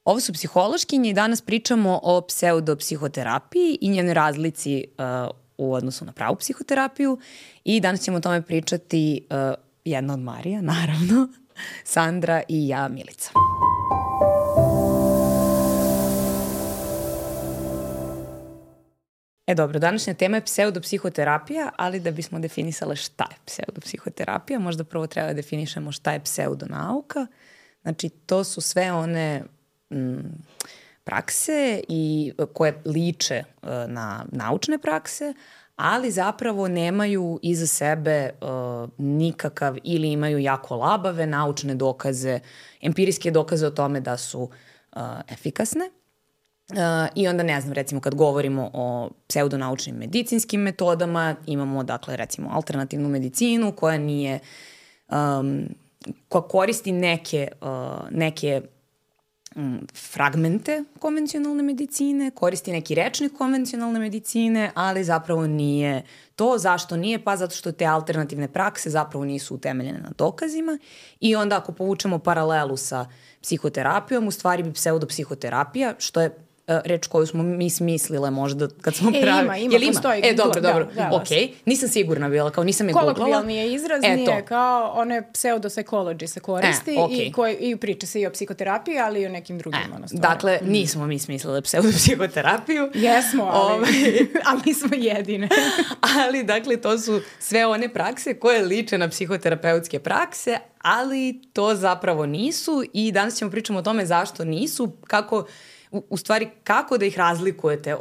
Ovo su psihološkinje i danas pričamo o pseudopsihoterapiji i njenoj razlici u odnosu na pravu psihoterapiju i danas ćemo o tome pričati jedna od Marija, naravno, Sandra i ja, Milica. Dobro, današnja tema je pseudopsihoterapija, ali da bismo definisale šta je pseudopsihoterapija, možda prvo treba da definišemo šta je pseudonauka. Znači, to su sve one prakse koje liče na naučne prakse, ali zapravo nemaju iza sebe nikakav ili imaju jako labave naučne dokaze, empirijske dokaze o tome da su efikasne. I onda, ne znam, recimo kad govorimo o pseudonaučnim medicinskim metodama, imamo, dakle, recimo alternativnu medicinu koja nije, koja koristi neke fragmente konvencionalne medicine, koristi neki rečnik konvencionalne medicine, ali zapravo nije to. Zašto nije? Pa zato što te alternativne prakse zapravo nisu utemeljene na dokazima i onda ako povučemo paralelu sa psihoterapijom, u stvari bi pseudopsihoterapija, što je reč koju smo mi smislile možda kad smo pravili. Ima, postoji. Dobro, okej. Nisam sigurna bila, kao nisam je googlala. Kolokvijalni je izraz, nije kao one pseudopsychology se koristi i priča se i o psihoterapiji, ali i o nekim drugim stvarima. Dakle, nismo mi smislile pseudopsihoterapiju. Jesmo, ali nismo jedine. Ali, dakle, to su sve one prakse koje liče na psihoterapeutske prakse, ali to zapravo nisu i danas ćemo pričamo o tome zašto nisu, u stvari kako da ih razlikujete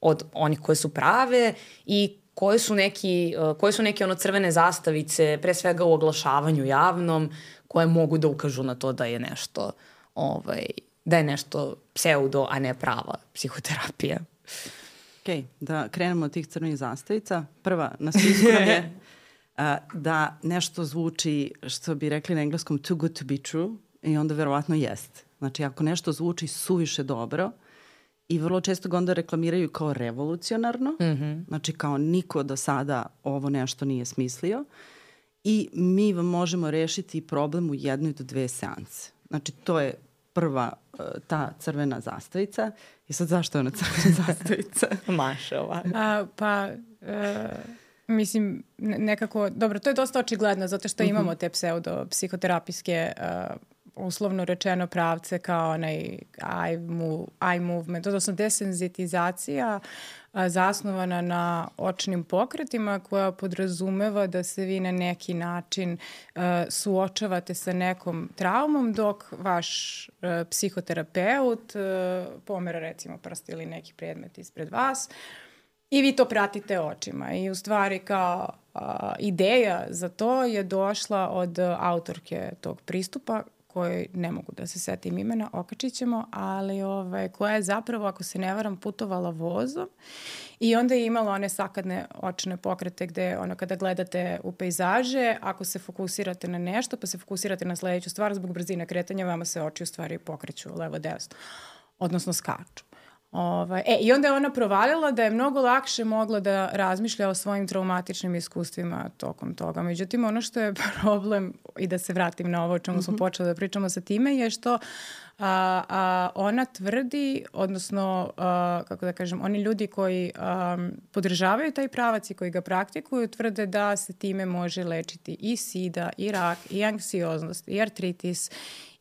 od onih koje su prave i koje su neke crvene zastavice, pre svega u oglašavanju javnom, koje mogu da ukažu na to da je nešto pseudo, a ne prava psihoterapija. Ok, da krenemo od tih crvenih zastavica. Prva na spisku nam je da nešto zvuči, što bi rekli na engleskom, too good to be true, i onda verovatno jeste. Znači, ako nešto zvuči suviše dobro i vrlo često ga onda reklamiraju kao revolucionarno, znači kao niko do sada ovo nešto nije smislio i mi vam možemo rešiti problem u 1 do 2 seanse. Znači, to je prva ta crvena zastavica. I sad zašto je ona crvena zastavica? Maša ovako. Mislim, nekako, dobro, to je dosta očigledno zato što imamo te pseudopsihoterapijske uslovno rečeno pravce kao onaj eye movement, odnosno desenzitizacija zasnovana na očnim pokretima koja podrazumeva da se vi na neki način suočavate sa nekom traumom dok vaš psihoterapeut pomera recimo prst ili neki predmet ispred vas i vi to pratite očima. I u stvari kao ideja za to je došla od autorke tog pristupa koji ne mogu da se setim imena, okačit ćemo, ali koja je zapravo, ako se ne varam, putovala vozom i onda je imala one sakadne očne pokrete gde kada gledate u pejzaže, ako se fokusirate na nešto pa se fokusirate na sledeću stvar, zbog brzine kretanja vama se oči u stvari pokreću levo-desno, odnosno skaču. I onda je ona provalila da je mnogo lakše mogla da razmišlja o svojim traumatičnim iskustvima tokom toga. Međutim, ono što je problem, i da se vratim na ovo o čemu smo počeli da pričamo sa time, je što ona tvrdi, odnosno, kako da kažem, oni ljudi koji podržavaju taj pravac i koji ga praktikuju, tvrde da se time može lečiti i sida, i rak, i anksioznost, i artritis,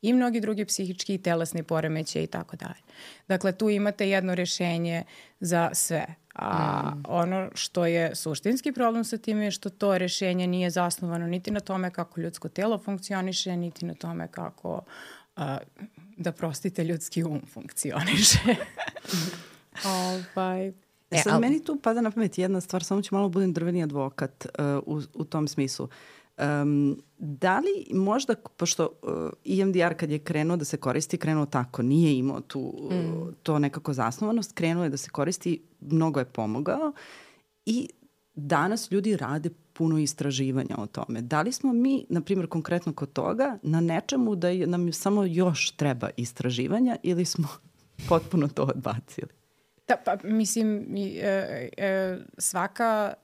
i mnogi drugi psihički i telesni poremećaji i tako dalje. Dakle, tu imate jedno rješenje za sve. A ono što je suštinski problem sa tim je što to rješenje nije zasnovano niti na tome kako ljudsko telo funkcioniše, niti na tome kako, da prostite, ljudski funkcioniše. Sad meni tu pada na pamet jedna stvar, samo ću malo budem drveni advokat u tom smislu. Da li možda, pošto EMDR kad je krenuo da se koristi, krenuo tako, nije imao to nekako zasnovanost, krenuo je da se koristi, mnogo je pomogao i danas ljudi rade puno istraživanja o tome. Da li smo mi, na primjer, konkretno kod toga, na nečemu da nam samo još treba istraživanja ili smo potpuno to odbacili? Da, pa mislim, svaka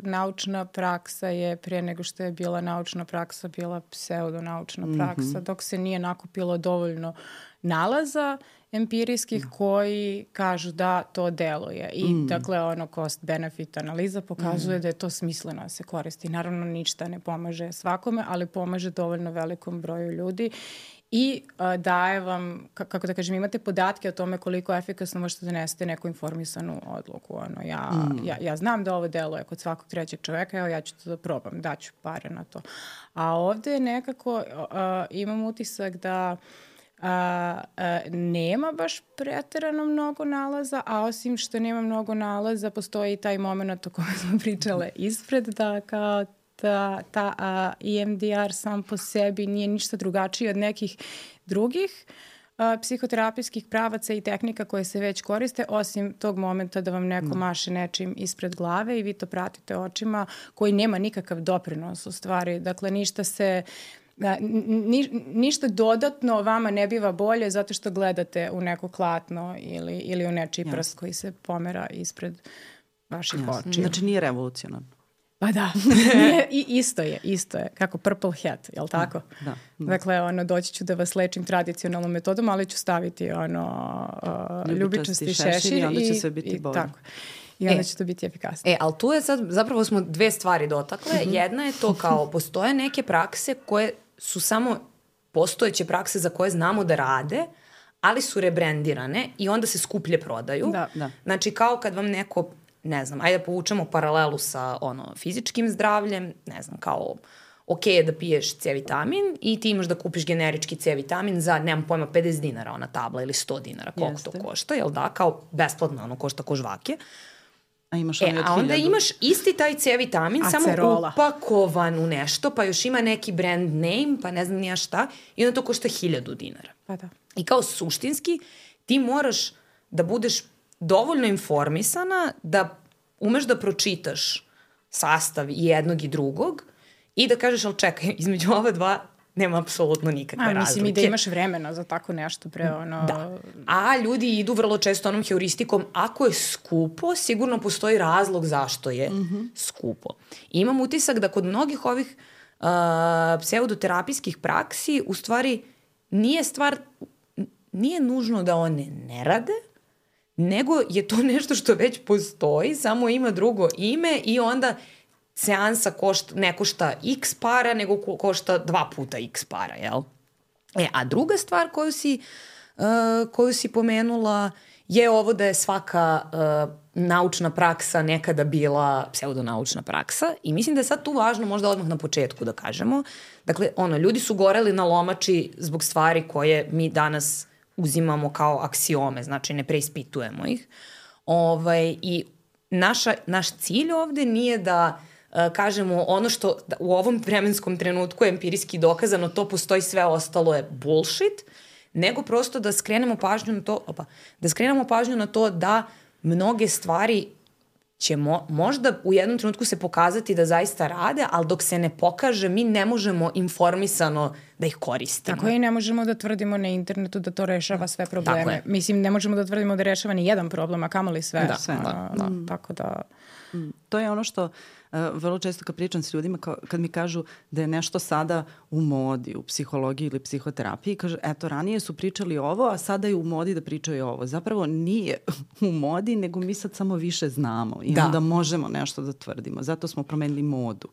naučna praksa je pre nego što je bila naučna praksa, bila pseudonaučna praksa, dok se nije nakupilo dovoljno nalaza empirijskih koji kažu da to deluje. I dakle, cost-benefit analiza pokazuje da je to smisleno da se koristi. Naravno, ništa ne pomaže svakome, ali pomaže dovoljno velikom broju ljudi. I daje vam, kako da kažem, imate podatke o tome koliko efikasno možete donesete neku informisanu odluku. Ja znam da ovo deluje kod svakog trećeg čoveka, evo ja ću to da probam, daću pare na to. A ovde nekako imam utisak da nema baš preterano mnogo nalaza, a osim što nema mnogo nalaza, postoji i taj moment o kojem smo pričale ispred, da kao ta EMDR sam po sebi nije ništa drugačiji od nekih drugih psihoterapijskih pravaca i tehnika koje se već koriste, osim tog momenta da vam neko maše nečim ispred glave i vi to pratite očima, koji nema nikakav doprinos u stvari. Dakle, ništa dodatno vama ne biva bolje zato što gledate u neko klatno ili u nečiji prst koji se pomera ispred vaših očiju. Znači nije revolucionarno. Pa da, isto je, kako Purple Hat, jel tako? Da. Dakle, doći ću da vas lečim tradicionalnom metodom, ali ću staviti ljubičasti šešir i onda će sve biti bolje. Tako. I onda će to biti efikasno. Ali tu je sad, zapravo smo dve stvari dotakle. Jedna je to kao, postoje neke prakse koje su samo postojeće prakse za koje znamo da rade, ali su rebrendirane i onda se skuplje prodaju. Da. Znači, kao kad vam neko, ne znam, ajde da povučemo paralelu sa fizičkim zdravljem, ne znam, kao ok je da piješ C-vitamin i ti imaš da kupiš generički C-vitamin za, nemam pojma, 50 dinara ona tabla ili 100 dinara, koliko to košta, jel da, kao besplatno košta ko žvake. A onda imaš isti taj C-vitamin, samo upakovan u nešto, pa još ima neki brand name, pa ne znam nija šta, i onda to košta 1000 dinara. Pa da. I kao suštinski ti moraš da budeš dovoljno informisana da umeš da pročitaš sastav i jednog i drugog i da kažeš, ali čekaj, između ova dva nema apsolutno nikakve razlike. Mislim i da imaš vremena za tako nešto pre Da. A ljudi idu vrlo često onom heuristikom, ako je skupo, sigurno postoji razlog zašto je skupo. I imam utisak da kod mnogih ovih pseudoterapijskih praksi u stvari nije nužno da one ne rade, nego je to nešto što već postoji, samo ima drugo ime i onda seansa ne košta x para, nego košta 2 puta x para, jel? A druga stvar koju si pomenula je ovo da je svaka naučna praksa nekada bila pseudonaučna praksa i mislim da je sad tu važno možda odmah na početku da kažemo. Dakle, ljudi su goreli na lomači zbog stvari koje mi danas uzimamo kao aksiome, znači ne preispitujemo ih. I naš cilj ovde nije da kažemo ono što u ovom vremenskom trenutku je empirijski dokazano, to postoji, sve ostalo je bullshit, nego prosto da skrenemo pažnju na to, da mnoge stvari će možda u jednom trenutku se pokazati da zaista rade, ali dok se ne pokaže, mi ne možemo informisano da ih koristimo. Tako i ne možemo da tvrdimo na internetu da to rešava sve probleme. Mislim, ne možemo da tvrdimo da rešava ni jedan problem, a kamoli sve. Tako da... To je ono što vrlo često kad pričam s ljudima, kad mi kažu da je nešto sada u modi, u psihologiji ili psihoterapiji, kažu, eto, ranije su pričali ovo, a sada je u modi da pričaju ovo. Zapravo nije u modi, nego mi sad samo više znamo i onda možemo nešto da tvrdimo. Zato smo promenili modu.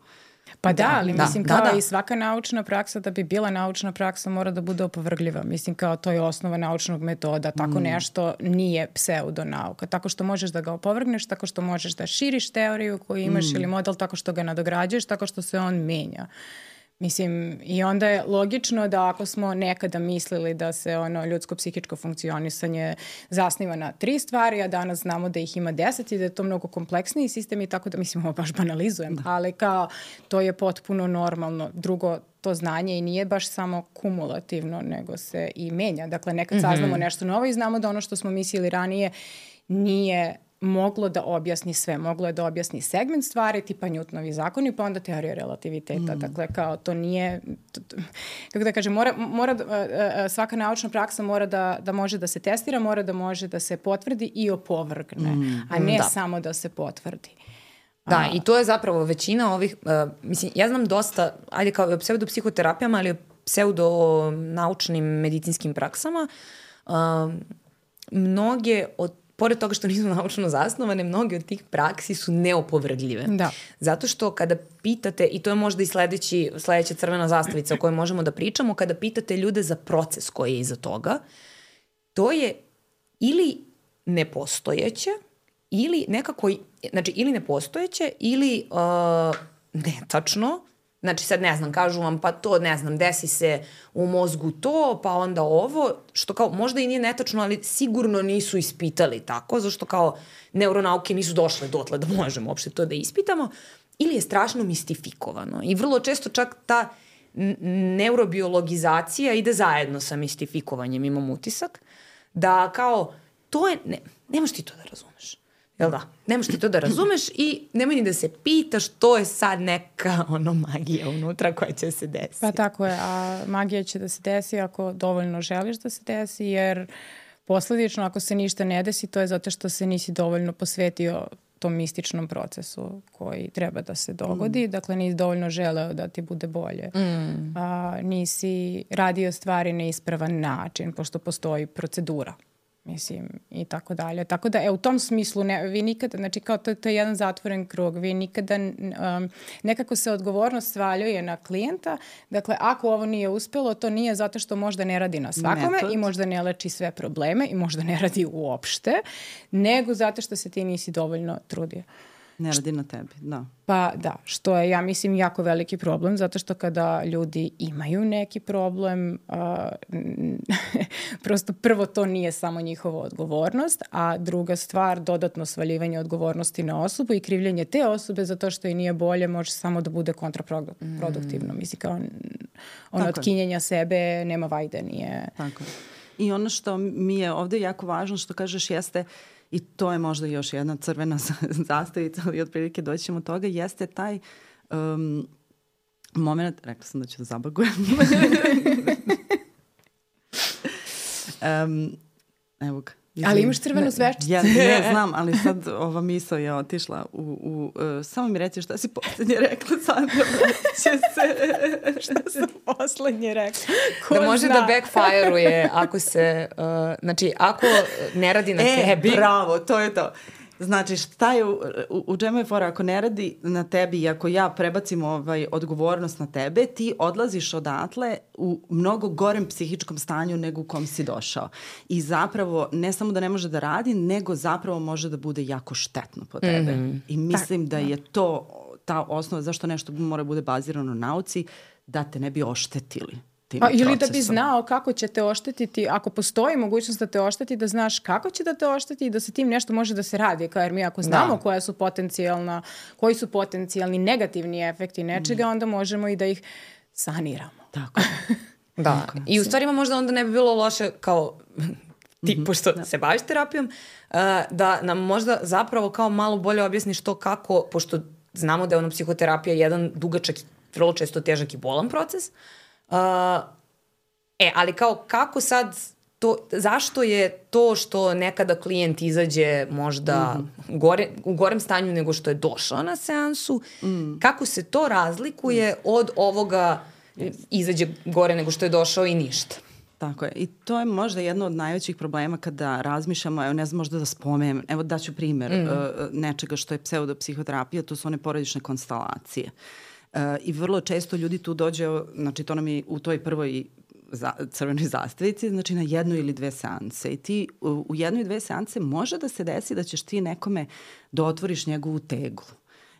Pa da, ali mislim kao i svaka naučna praksa, da bi bila naučna praksa, mora da bude opovrgljiva. Mislim kao to je osnova naučnog metoda. Tako nešto nije pseudonauka. Tako što možeš da ga opovrgneš, tako što možeš da širiš teoriju koju imaš ili model, tako što ga nadograđuješ, tako što se on menja. Mislim, i onda je logično da ako smo nekada mislili da se ljudsko psihičko funkcionisanje zasniva na 3 stvari, a danas znamo da ih ima 10 i da je to mnogo kompleksniji sistem i tako da, mislim, ovo baš banalizujem, ali kao to je potpuno normalno. Drugo, to znanje i nije baš samo kumulativno, nego se i menja. Dakle, nekad saznamo nešto novo i znamo da ono što smo mislili ranije nije moglo da objasni sve. Moglo je da objasni segment stvari, tipa Newtonovi zakoni, pa onda teorija relativiteta. Dakle, kao to nije, kako da kažem, svaka naučna praksa mora da može da se testira, mora da može da se potvrdi i opovrgne, a ne samo da se potvrdi. Da, i to je zapravo većina ovih, mislim, ja znam dosta, ajde kao pseudopsihoterapijama, ali o pseudonaučnim medicinskim praksama, mnoge pored toga što nisu naučno zasnovane, mnoge od tih praksi su neopovrgljive. Da. Zato što kada pitate, i to je možda i sledeća crvena zastavica o kojoj možemo da pričamo, kada pitate ljude za proces koji je iza toga, to je ili nepostojeće, ili nekako, znači ili nepostojeće, ili netačno. Znači sad ne znam, kažu vam pa to ne znam, desi se u mozgu to, pa onda ovo, što kao možda i nije netačno, ali sigurno nisu ispitali tako, zašto kao neuronauke nisu došle dotle da možemo uopšte to da ispitamo, ili je strašno mistifikovano. I vrlo često čak ta neurobiologizacija ide zajedno sa mistifikovanjem, imam utisak, da kao to je, nemaš ti to da razumeš. Jel da? Nemaš ti to da razumeš i nemoj ni da se pitaš, to je sad neka magija unutra koja će se desiti. Pa tako je, a magija će da se desi ako dovoljno želiš da se desi, jer posledično ako se ništa ne desi, to je zato što se nisi dovoljno posvetio tom mističnom procesu koji treba da se dogodi. Dakle, nisi dovoljno želeo da ti bude bolje. Nisi radio stvari na ispravan način, pošto postoji procedura. Mislim, i tako dalje. Tako da, u tom smislu, vi nikada, znači kao to je jedan zatvoren krug, vi nikada, nekako se odgovornost svaljuje na klijenta, dakle, ako ovo nije uspelo, to nije zato što možda ne radi na svakome i možda ne leči sve probleme i možda ne radi uopšte, nego zato što se ti nisi dovoljno trudio. Ne radi na tebi, da. Pa da, što je, ja mislim, jako veliki problem, zato što kada ljudi imaju neki problem, prosto prvo to nije samo njihova odgovornost, a druga stvar, dodatno svaljivanje odgovornosti na osobu i krivljenje te osobe za to što i nije bolje može samo da bude kontraproduktivno. Mislim, kao otkinjenja sebe, nema vajde, nije... Tako. I ono što mi je ovde jako važno, što kažeš, jeste... I to je možda još jedna crvena zastavica, ali otprilike doći ćemo toga, jeste taj moment, rekla sam da ću da zabagujem. Evo ga. Ali imaš crvenu sveččicu. Ja ne znam, ali sad ova misao je otišla samo mi reci šta si poslednje rekla, Sandra, vraće se. Šta sam poslednje rekla? Da može da backfire-uje ako se, znači ako ne radi na tebi. Bravo, to je to. Znači, šta je, u čemu je fora, ako ne radi na tebi i ako ja prebacim odgovornost na tebe, ti odlaziš odatle u mnogo gorem psihičkom stanju nego u kom si došao. I zapravo, ne samo da ne može da radi, nego zapravo može da bude jako štetno po tebe. I mislim da je to ta osnova zašto nešto mora bude bazirano na nauci, da te ne bi oštetili. Ili da bi znao kako će te oštetiti, ako postoji mogućnost da te ošteti, da znaš kako će da te ošteti i da se tim nešto može da se radi. Jer mi ako znamo koji su potencijalni negativni efekti nečega, onda možemo i da ih saniramo. Tako. Da. I u stvari možda onda ne bi bilo loše kao ti, pošto se baviš terapijom, da nam možda zapravo kao malo bolje objasniš to kako, pošto znamo da je psihoterapija jedan dugačak, vrlo često težak i bolan proces, ali kao kako sad to, zašto je to što nekada klijent izađe možda u gorem stanju nego što je došao na seansu, kako se to razlikuje od ovoga izađe gore nego što je došao i ništa? Tako je. I to je možda jedno od najvećih problema kada razmišljamo, evo ne znam možda da spomenem, evo daću primer nečega što je pseudopsihoterapija, to su one porodične konstelacije. I vrlo često ljudi tu dođe, znači to nam je u toj prvoj crvenoj zastavici, znači na 1 ili 2 seanse. I ti u 1 i 2 seanse može da se desi da ćeš ti nekome da otvoriš njegovu teglu.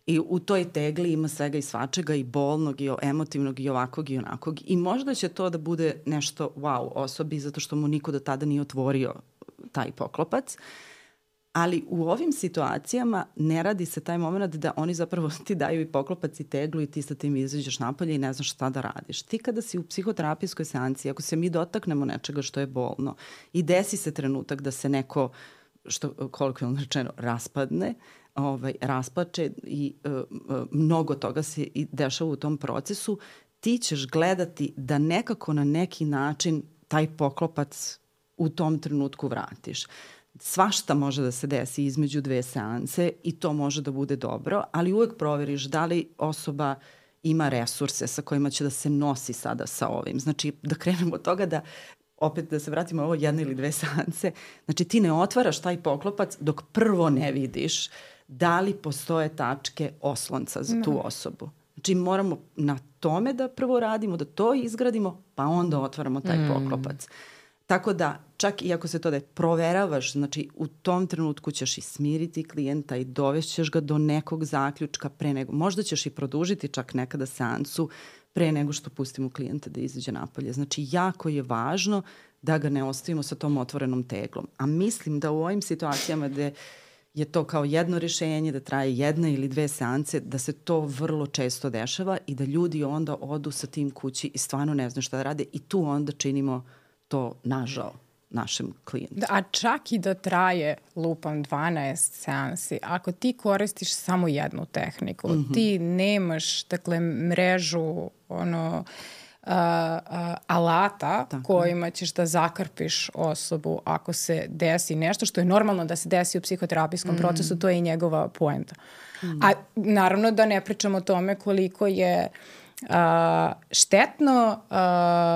I u toj tegli ima svega i svačega, i bolnog, i emotivnog, i ovakvog, i onakvog. I možda će to da bude nešto wow osobi, zato što mu niko do tada nije otvorio taj poklopac. Ali u ovim situacijama ne radi se taj moment da oni zapravo ti daju i poklopac i teglu i ti sa tim izađeš napolje i ne znaš šta da radiš. Ti kada si u psihoterapijskoj seanciji, ako se mi dotaknemo nečega što je bolno i desi se trenutak da se neko što kolokvijalno rečeno raspadne, raspače i mnogo toga se i dešava u tom procesu, ti ćeš gledati da nekako na neki način taj poklopac u tom trenutku vratiš. Svašta može da se desi između 2 seanse i to može da bude dobro, ali uvek proveriš da li osoba ima resurse sa kojima će da se nosi sada sa ovim. Znači, da krenemo od toga da, opet da se vratimo ovo 1 ili 2 seanse, znači ti ne otvaraš taj poklopac dok prvo ne vidiš da li postoje tačke oslonca za tu osobu. Znači moramo na tome da prvo radimo, da to izgradimo, pa onda otvaramo taj poklopac. Tako da, čak i ako se to da proveravaš, znači u tom trenutku ćeš i smiriti klijenta i dovešćeš ga do nekog zaključka pre nego, možda ćeš i produžiti čak nekada seansu pre nego što pustimo klijenta da izađe napolje. Znači jako je važno da ga ne ostavimo sa tom otvorenom teglom. A mislim da u ovim situacijama gde je to kao jedno rješenje, da traje 1 ili 2 seanse, da se to vrlo često dešava i da ljudi onda odu sa tim kući i stvarno ne znaju šta da rade i tu onda činimo to nažao našem klijentu. Da, a čak i da traje lupam 12 seansi, ako ti koristiš samo jednu tehniku, ti nemaš, dakle, mrežu alata kojima ćeš da zakrpiš osobu ako se desi nešto što je normalno da se desi u psihoterapijskom procesu, to je i njegova poenta. A naravno da ne pričamo o tome koliko je štetno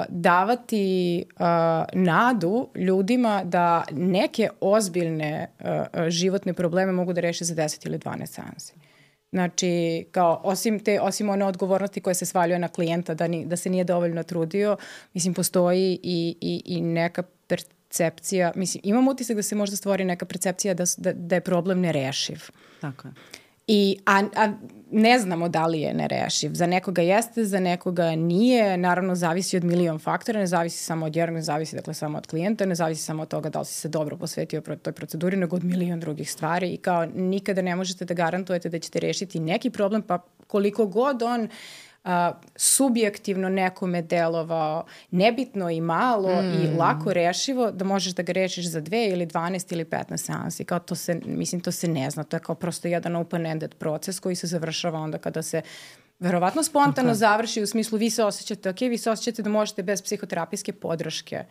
davati nadu ljudima da neke ozbiljne životne probleme mogu da reše za 10 ili 12 seansi. Znači, kao, osim one odgovornosti koje se svaljuje na klijenta da se nije dovoljno trudio, mislim, postoji i neka percepcija, mislim, imam utisak da se možda stvori neka percepcija da je problem nerešiv. Tako je. A ne znamo da li je nerešiv. Za nekoga jeste, za nekoga nije. Naravno, zavisi od milion faktora, ne zavisi samo od jednog, ne zavisi dakle samo od klijenta, ne zavisi samo od toga da li si se dobro posvetio toj proceduri, nego od milion drugih stvari i kao nikada ne možete da garantujete da ćete rešiti neki problem, pa koliko god on subjektivno nekome delovao nebitno i malo i lako rešivo, da možeš da ga rešiš za 2 ili 12 ili 15 seansi. Kao to se, mislim, to se ne zna. To je kao prosto jedan open-ended proces koji se završava onda kada se verovatno spontano završi u smislu vi se osjećate da možete bez psihoterapijske podrške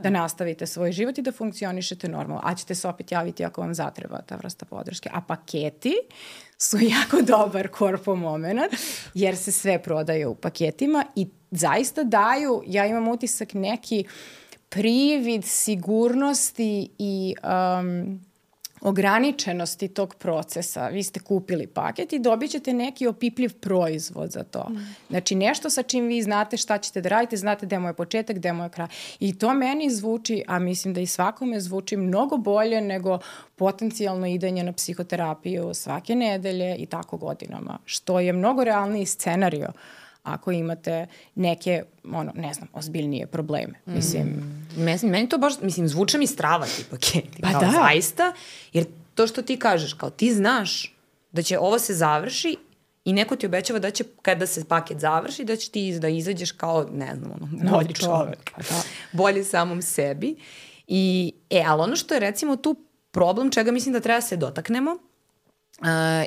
da nastavite svoj život i da funkcionišete normalno. A ćete se opet javiti ako vam zatreba ta vrsta podrške. A paketi su jako dobar korpo moment jer se sve prodaje u paketima i zaista daju, ja imam utisak, neki privid sigurnosti i ograničenosti tog procesa. Vi ste kupili paket i dobit ćete neki opipljiv proizvod za to. Znači nešto sa čim vi znate šta ćete da radite, znate gde mu je početak, gde mu je kraj. I to meni zvuči, a mislim da i svakome zvuči mnogo bolje nego potencijalno idenje na psihoterapiju svake nedelje i tako godinama. Što je mnogo realniji scenario ako imate neke, ne znam, ozbiljnije probleme. Meni to baš, zvuče mi strava ti paketi. Pa kao, da. Zaista, jer to što ti kažeš, kao ti znaš da će ovo se završi i neko ti obećava da će, kada se paket završi, da će ti da izađeš kao, ne znam, bolji čovek. Bolji samom sebi. Ali ono što je recimo tu problem, čega mislim da treba se dotaknemo,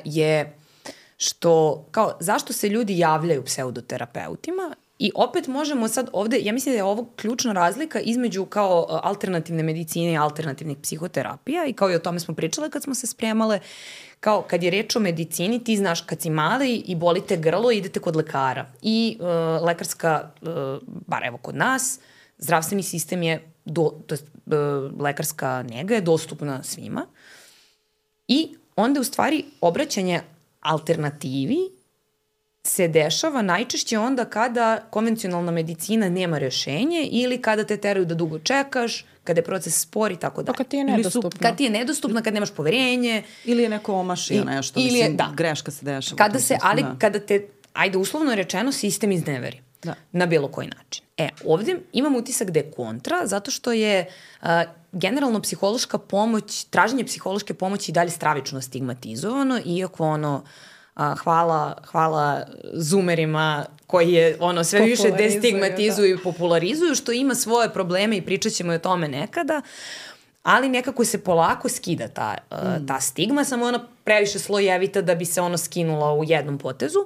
je što, kao, zašto se ljudi javljaju pseudoterapeutima i opet možemo sad ovde, ja mislim da je ovo ključna razlika između kao alternativne medicine i alternativnih psihoterapija i kao i o tome smo pričale kad smo se spremale, kao kad je reč o medicini, ti znaš kad si mali i bolite grlo, idete kod lekara i lekarska, bar evo kod nas, zdravstveni sistem je, lekarska nega je dostupna svima i onda u stvari obraćanje alternativi se dešava najčešće onda kada konvencionalna medicina nema rešenje ili kada te teraju da dugo čekaš, kada je proces spor i tako dalje. Kad ti je nedostupno. Kad ti je nedostupno, kad nemaš poverenje. Ili je neko omašio nešto, greška se dešava. Kada te, ajde uslovno rečeno, sistem izneveri. Na bilo koji način. Ovdje imam utisak da je kontra, zato što je generalno psihološka pomoć, traženje psihološke pomoći i dalje stravično stigmatizovano, iako hvala zoomerima koji je sve više destigmatizuju i popularizuju, što ima svoje probleme i pričat ćemo o tome nekada, ali nekako se polako skida ta stigma, samo ona previše slojevita da bi se ono skinula u jednom potezu.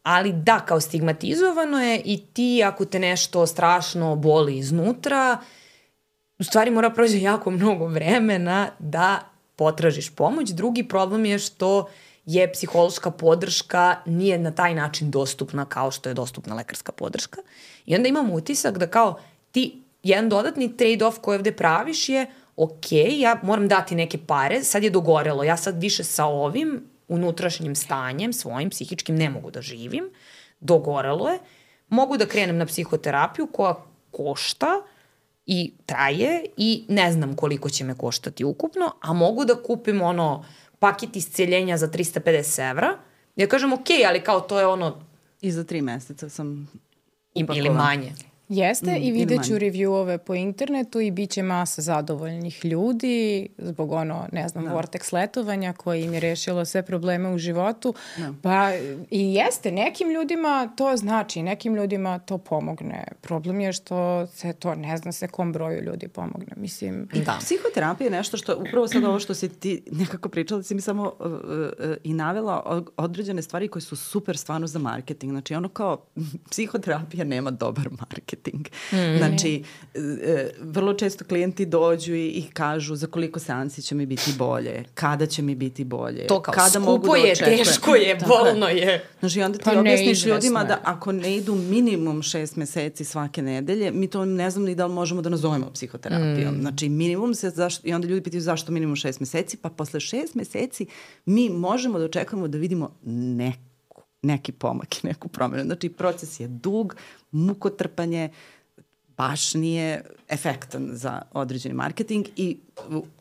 Ali da, kao stigmatizovano je i ti ako te nešto strašno boli iznutra, u stvari mora prođe jako mnogo vremena da potražiš pomoć. Drugi problem je što je psihološka podrška nije na taj način dostupna kao što je dostupna lekarska podrška. I onda imam utisak da kao ti jedan dodatni trade-off koji ovde praviš je ok, ja moram dati neke pare, sad je dogorelo, ja sad više sa ovim unutrašnjim stanjem, svojim psihičkim ne mogu da živim, dogorelo je, mogu da krenem na psihoterapiju koja košta i traje i ne znam koliko će me koštati ukupno, a mogu da kupim paket isceljenja za 350 evra. Ja kažem ok, ali kao to je I za 3 meseca sam upakova. Ili manje. Jeste i vidjet ću reviewove po internetu i bit će masa zadovoljnih ljudi zbog vortex letovanja koji im je rešilo sve probleme u životu. Pa i jeste, nekim ljudima to znači, nekim ljudima to pomogne. Problem je što se to ne zna se kom broju ljudi pomogne. Mislim, Psihoterapija je nešto što, upravo sad ovo što si ti nekako pričala, si mi samo i navela određene stvari koje su super stvarno za marketing. Znači kao psihoterapija nema dobar marketing. Znači, vrlo često klijenti dođu i kažu za koliko seansi će mi biti bolje, kada će mi biti bolje. To kao kada skupo je, teško je, bolno je. Znači, onda ti objasniš ljudima da ako ne idu minimum 6 meseci svake nedelje, mi to ne znam ni da li možemo da nazovemo psihoterapijom. Znači, minimum i onda ljudi pitaju zašto minimum 6 meseci, pa posle 6 meseci mi možemo da očekujemo da vidimo neki pomak i neku promenu. Znači, proces je dug, mukotrpanje, baš nije efektan za određeni marketing i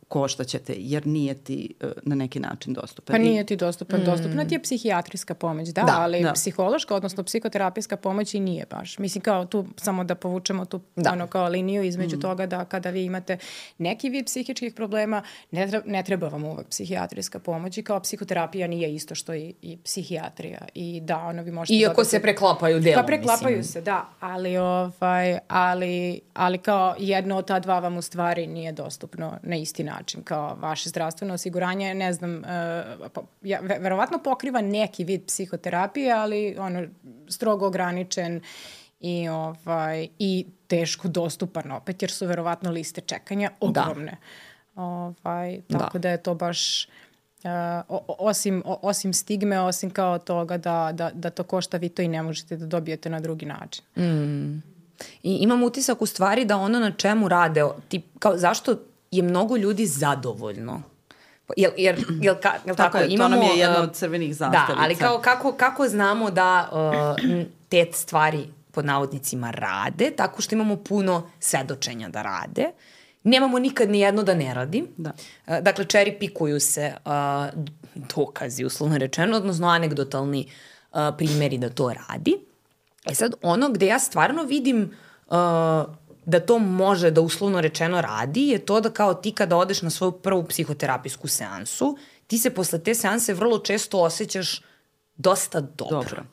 koštaćete, jer nije ti na neki način dostupan. Pa nije ti dostupan. Dostupna ti je psihijatrijska pomoć, ali psihološka, odnosno psihoterapijska pomoć i nije baš. Mislim, kao tu, samo da povučemo tu kao liniju između toga da kada vi imate neki vid psihičkih problema, ne treba vam uvek psihijatrijska pomoć i kao psihoterapija nije isto što i psihijatrija. I da, vi možete... Iako se preklapaju delom, pa preklapaju se, da, ali kao jedno od ta dva vam u stvari nije dostupno na isti način. Kao vaše zdravstveno osiguranje, ne znam, verovatno pokriva neki vid psihoterapije, ali strogo ograničen i teško dostupan opet, jer su verovatno liste čekanja ogromne. Tako da je to baš osim stigme, osim kao toga da to košta, vi to i ne možete da dobijete na drugi način. I imam utisak u stvari da na čemu rade, zašto je mnogo ljudi zadovoljno. Jel tako? To nam je jedna od crvenih zastavica. Da, ali kako znamo da te stvari pod navodnicima rade, tako što imamo puno svedočenja da rade. Nemamo nikad ni jedno da ne radi. Da. Dakle, cherry pikuju se dokazi, uslovno rečeno, odnosno anegdotalni primjeri da to radi. Sad, gde ja stvarno vidim da to može da uslovno rečeno radi je to da kao ti kada odeš na svoju prvu psihoterapijsku seansu, ti se posle te seanse vrlo često osjećaš dosta dobro.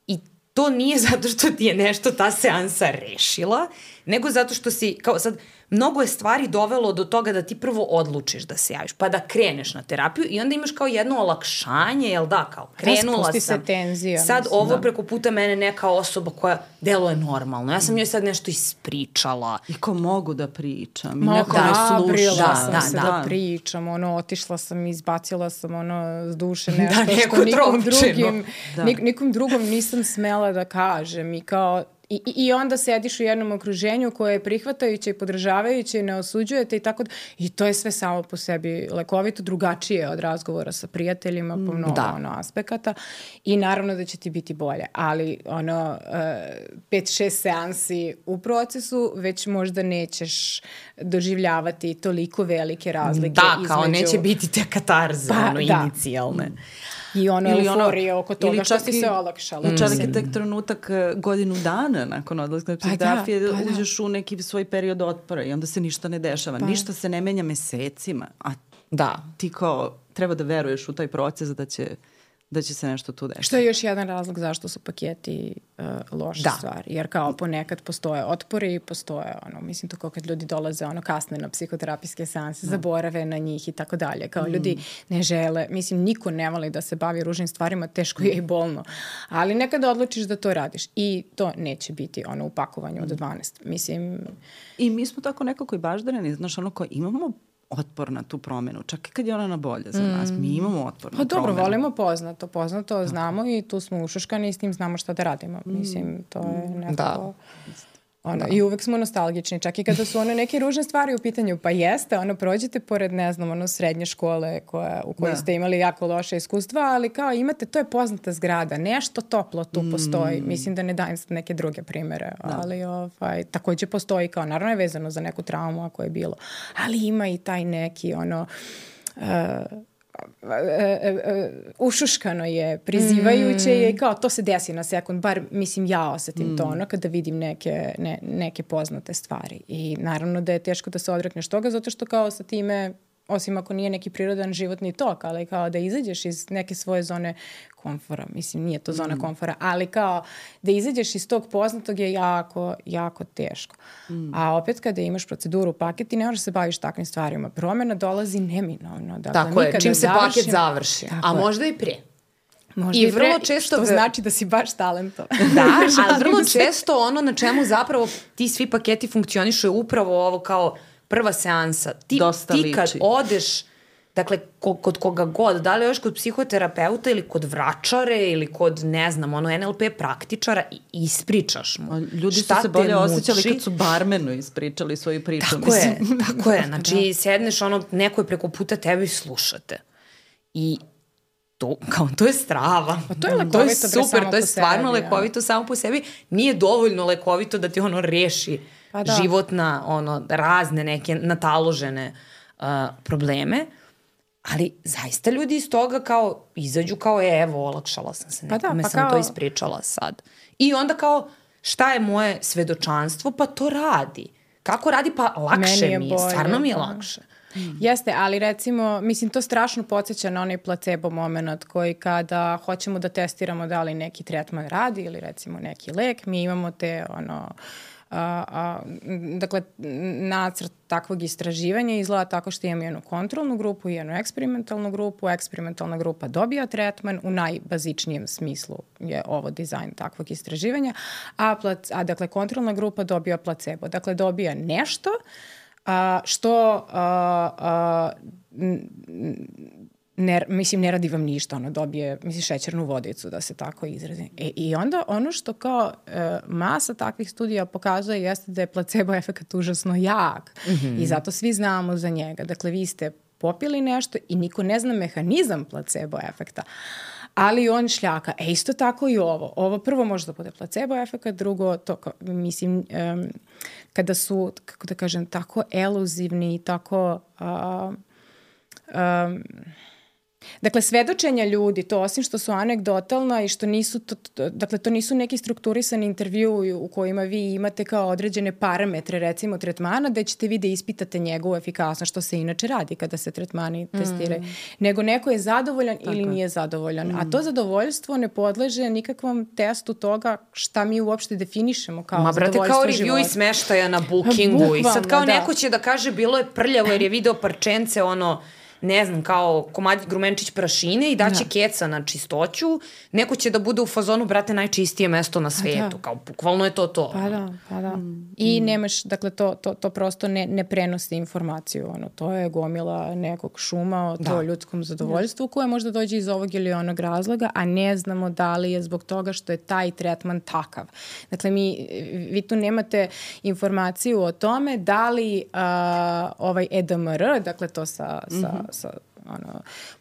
I to nije zato što ti je nešto ta seansa rešila, nego zato što si, kao sad, mnogo je stvari dovelo do toga da ti prvo odlučiš da se javiš, pa da kreneš na terapiju i onda imaš kao jedno olakšanje, jel da, kao krenula sam. Se tenzija. Sad preko puta mene neka osoba koja deluje normalno. Ja sam njoj sad nešto ispričala. I ko mogu da pričam. Neko me sluša. Sam se da pričam. Otišla sam, izbacila sam s duše nešto što nikom drugom nisam smela da kažem. I kao I onda sediš u jednom okruženju koje je prihvatajuće i podržavajuće i ne osuđujete i tako da. I to je sve samo po sebi lekovito, drugačije od razgovora sa prijateljima po mnogo aspekata i naravno da će ti biti bolje. Ali 5-6 seansi u procesu već možda nećeš doživljavati toliko velike razlike. Da, kao neće biti te katarze, inicijalne. I euforije oko toga što ti se olakšalo. Čak je tek trenutak godinu dana nakon odlaska psihoterapije, uđeš u neki svoj period otpora i onda se ništa ne dešava. Ništa se ne menja mesecima. A ti kao treba da veruješ u taj proces da će da će se nešto tu desiti. Što je još jedan razlog zašto su paketi loša stvar. Jer kao ponekad postoje otpori i postoje, mislim to kao kad ljudi dolaze kasne na psihoterapijske seanse, zaborave na njih i tako dalje. Kao ljudi ne žele, niko ne voli da se bavi ružnim stvarima, teško je i bolno. Ali nekada odlučiš da to radiš i to neće biti u pakovanju od 12. I mi smo tako nekako i baždareni, znaš, ko imamo otpor na tu promenu, čak i kad je ona na bolje za nas. Mi imamo otpor na promenu. Dobro, volimo poznato znamo i tu smo ušuškani i s tim znamo šta da radimo. To je nekako... I uvek smo nostalgični, čak i kada su neke ružne stvari u pitanju, pa jeste, prođete pored, ne znam, srednje škole u kojoj ste imali jako loše iskustva, ali kao imate, to je poznata zgrada, nešto toplo tu postoji, mislim da ne dajem neke druge primere, ali takođe postoji kao, naravno je vezano za neku traumu ako je bilo, ali ima i taj neki ušuškano je, prizivajuće je i kao to se desi na sekund, bar ja osetim to kada vidim neke poznate stvari i naravno da je teško da se odrekneš toga zato što kao sa time, osim ako nije neki prirodan životni tok, ali kao da izađeš iz neke svoje zone komfora, nije to zona komfora, ali kao da izađeš iz tog poznatog je jako, jako teško. A opet kada imaš proceduru paket, ti ne možeš se baviš takvim stvarima. Promjena dolazi neminovno. Dakle, tako je, čim se paket završi. A možda i prije. Možda i vrlo često što znači da si baš talentovan. Da, ali vrlo često na čemu zapravo ti svi paketi funkcionišu je upravo ovo kao prva seansa. Ti kad odeš, dakle, kod koga god, da li još kod psihoterapeuta ili kod vračare ili kod, ne znam, NLP praktičara i ispričaš mu. Ljudi su se bolje osjećali kad su barmenu ispričali svoju priču. Tako je. Znači, sedneš, neko je preko puta tebe i slušate. I to je strava. To je lekovito. To je super, to je stvarno lekovito samo po sebi. Nije dovoljno lekovito da ti reši životna, razne neke nataložene probleme, ali zaista ljudi iz toga kao izađu kao evo, olakšala sam se, nekome sam to ispričala sad. I onda kao šta je moje svedočanstvo? Pa to radi. Kako radi? Pa lakše mi je, stvarno mi je lakše. Jeste, ali recimo, to strašno podsjeća na onaj placebo moment koji kada hoćemo da testiramo da li neki tretman radi ili recimo neki lek, mi imamo te dakle, nacrt takvog istraživanja izgleda tako što imamo jednu kontrolnu grupu i jednu eksperimentalnu grupu. Eksperimentalna grupa dobija tretman, u najbazičnijem smislu je ovo dizajn takvog istraživanja, a dakle kontrolna grupa dobija placebo. Dakle, dobija nešto što ne radi vam ništa, dobije šećernu vodicu, da se tako izrazi. I onda ono što kao masa takvih studija pokazuje jeste da je placebo efekat užasno jak i zato svi znamo za njega. Dakle, vi ste popili nešto i niko ne zna mehanizam placebo efekta, ali on šljaka. Isto tako i ovo. Ovo prvo može da bude placebo efekat, drugo, kada su, kako da kažem, tako eluzivni i tako... Dakle, svedočenja ljudi, to osim što su anegdotalna i što nisu, dakle, to nisu neki strukturisani intervju u kojima vi imate kao određene parametre, recimo tretmana, da ćete vi da ispitate njegovu efikasnost, što se inače radi kada se tretmani testiraju. Nego neko je zadovoljan ili nije zadovoljan. A to zadovoljstvo ne podleže nikakvom testu toga šta mi uopšte definišemo kao zadovoljstvo života. Brate, kao review i smeštaja na Bookingu. I sad kao neko će da kaže bilo je prljavo jer je video parčence, ne znam, kao komadić grumenčić prašine i daće keca na čistoću, neko će da bude u fazonu, brate, najčistije mesto na svetu. Kao, bukvalno je to. Pa da. I nemaš, dakle, to prosto ne prenosi informaciju. To je gomila nekog šuma o to ljudskom zadovoljstvu koje možda dođe iz ovog ili onog razloga, a ne znamo da li je zbog toga što je taj tretman takav. Dakle, vi tu nemate informaciju o tome da li ovaj EDMR, dakle to sa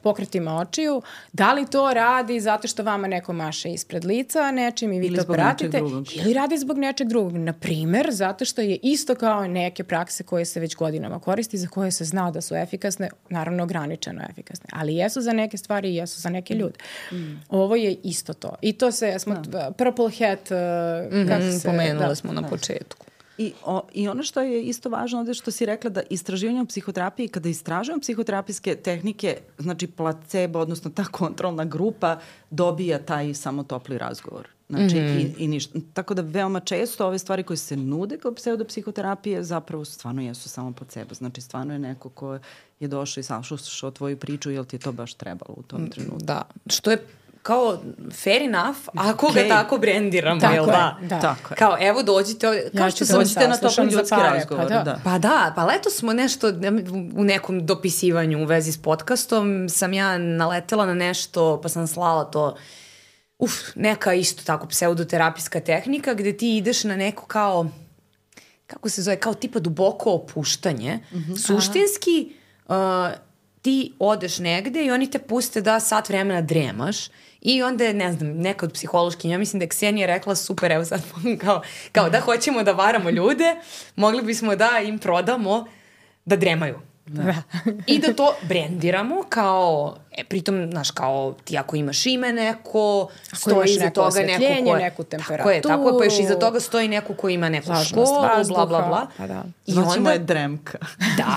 pokretima očiju, da li to radi zato što vama neko maše ispred lica nečim i vi to pratite, ili radi zbog nečeg drugog. Naprimer, zato što je isto kao neke prakse koje se već godinama koristi, za koje se zna da su efikasne, naravno ograničeno efikasne, ali jesu za neke stvari i jesu za neke ljude. Ovo je isto to. I to se, Purple Hat, pomenuli smo na početku. I ono što je isto važno ovde što si rekla da istraživanje u psihoterapiji, kada istražujemo psihoterapijske tehnike, znači placebo, odnosno ta kontrolna grupa dobija taj samo topli razgovor. Znači, i ništa. Tako da veoma često ove stvari koje se nude kao pseudopsihoterapije zapravo stvarno jesu samo placebo. Znači, stvarno je neko ko je došao i saslušao tvoju priču, jel ti je to baš trebalo u tom trenutku. Da, što je kao fair enough, ako ga tako brendiramo, jel da? Tako je. Kao, evo dođite ovdje, kao što sam dođite na topli ljudski razgovor. Pa leto smo nešto u nekom dopisivanju u vezi s podcastom, sam ja naletela na nešto, pa sam slala to, neka isto tako pseudoterapijska tehnika gde ti ideš na neko kao, kako se zove, kao tipa duboko opuštanje. Suštinski ti odeš negde i oni te puste da sat vremena dremaš i onda je, ne znam, neka od psihološkinja, ja mislim da je Ksenija rekla super, evo sad kao da hoćemo da varamo ljude, mogli bismo da im prodamo da dremaju. Da. I da to brendiramo kao, pritom, znaš, kao ti ako imaš ime neko, stoji iza toga neko ko je, neku temperaturu. Tako je, pa još iza toga stoji neko ko ima neku školu, bla, bla, bla. Pa da. Znači moja dremka. Da.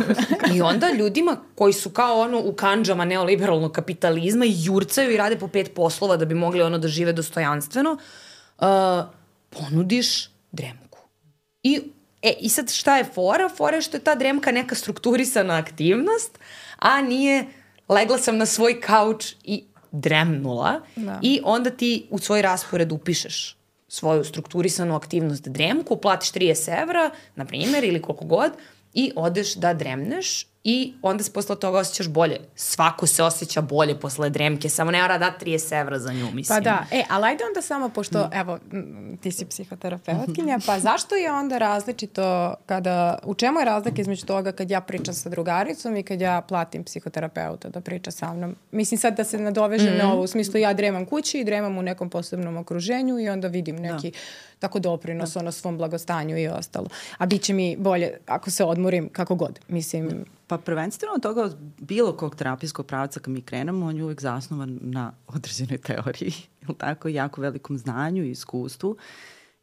I onda ljudima koji su kao ono u kanđama neoliberalnog kapitalizma i jurcaju i rade po 5 poslova da bi mogli ono da žive dostojanstveno, ponudiš dremku. I sad šta je fora? Fora je što je ta dremka neka strukturisana aktivnost, a nije legla sam na svoj kauč i dremnula. Da. I onda ti u svoj raspored upišeš svoju strukturisanu aktivnost dremku, platiš 30 evra, na primjer, ili koliko god, i odeš da dremneš i onda se posle toga osjećaš bolje. Svako se osjeća bolje posle dremke, samo ne mora dati 30 evra za nju, mislim. Pa da, ali ajde onda samo, pošto, evo, ti si psihoterapeutkinja, pa zašto je onda različito u čemu je razlika između toga kad ja pričam sa drugaricom i kad ja platim psihoterapeuta da priča sa mnom? Mislim sad da se nadovežem na ovo, u smislu ja dremam kući i dremam u nekom posebnom okruženju i onda vidim neki tako doprinos ono svom blagostanju i ostalo. A bit će mi bolje ako se odmorim kako god, mislim. Pa prvenstveno od toga, bilo kog terapijskog pravca kad mi krenemo, on je uvek zasnovan na određenoj teoriji, ili tako, jako velikom znanju i iskustvu.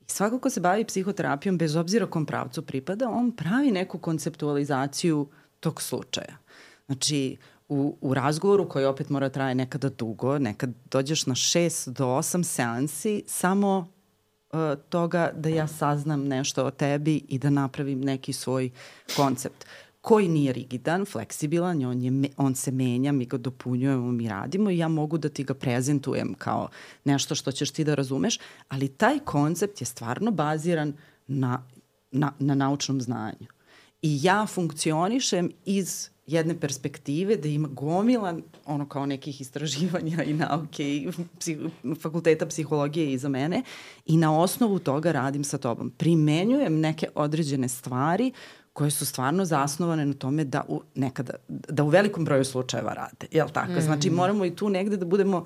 I svako ko se bavi psihoterapijom, bez obzira kom pravcu pripada, on pravi neku konceptualizaciju tog slučaja. Znači, u razgovoru koji opet mora traje nekada dugo, nekad dođeš na 6 do 8 seansi, samo toga da ja saznam nešto o tebi i da napravim neki svoj koncept koji nije rigidan, fleksibilan, on se menja, mi ga dopunjujemo, mi radimo i ja mogu da ti ga prezentujem kao nešto što ćeš ti da razumeš, ali taj koncept je stvarno baziran na naučnom znanju. I ja funkcionišem iz jedne perspektive da ima gomilan ono kao nekih istraživanja i nauke i fakulteta psihologije iza mene i na osnovu toga radim sa tobom. Primenjujem neke određene stvari koje su stvarno zasnovane na tome da u velikom broju slučajeva rade. Jel tako? Znači moramo i tu negde da budemo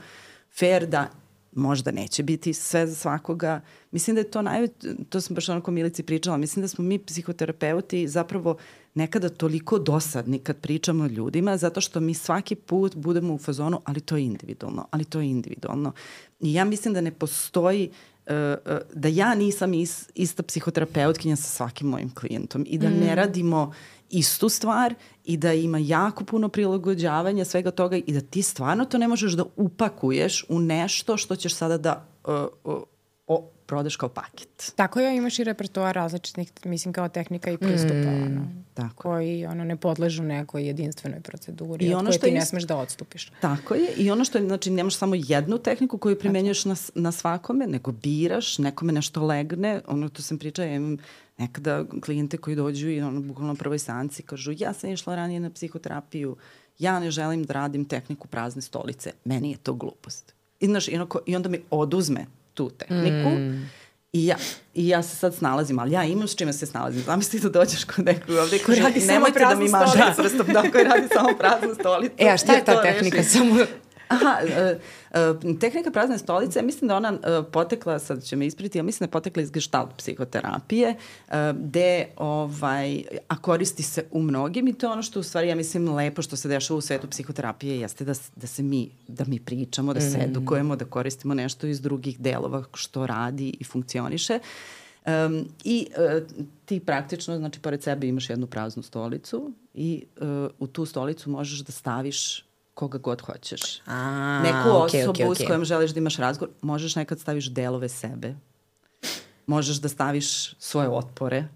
fair da možda neće biti sve za svakoga. Mislim da je to sam baš onako Milici pričala, mislim da smo mi psihoterapeuti zapravo nekada toliko dosadni kad pričamo o ljudima, zato što mi svaki put budemo u fazonu, ali to je individualno. I ja mislim da ne postoji da ja nisam ista psihoterapeutkinja sa svakim mojim klijentom i da ne radimo istu stvar i da ima jako puno prilagođavanja svega toga i da ti stvarno to ne možeš da upakuješ u nešto što ćeš sada da prodaš kao paket. Tako je, imaš i repertoar različitih, mislim, kao tehnika i pristupa, koji ne podležu nekoj jedinstvenoj proceduri od koje ti ne smeš da odstupiš. Tako je, i ono što je, znači, nemaš samo jednu tehniku koju primenjuješ na svakome, nego biraš, nekome nešto legne, to sam pričala, ja imam nekada klijente koji dođu i bukvalno na prvoj seansi kažu, ja sam išla ranije na psihoterapiju, ja ne želim da radim tehniku prazne stolice, meni je to glupost. I onda mi oduzme tu tehniku i ja se sad snalazim, ali ja imam s čime se snalazim. Zamisli da dođeš kod nekog ovde koji radi nemojte da mi mažete prstom, koji radi samo praznu stolicu. A šta je ta tehnika? Tehnika prazne stolice, mislim da ona potekla, sad će me ispriti, ja mislim da je potekla iz gestalt psihoterapije, a koristi se u mnogim i to je ono što u stvari, ja mislim, lepo što se dešava u svetu psihoterapije jeste da mi pričamo, da se edukujemo, da koristimo nešto iz drugih delova što radi i funkcioniše. Ti praktično, znači, pored sebe imaš jednu praznu stolicu i u tu stolicu možeš da staviš koga god hoćeš. Neku osobu s kojom želiš da imaš razgovor, možeš nekad staviš delove sebe. Možeš da staviš svoje otpore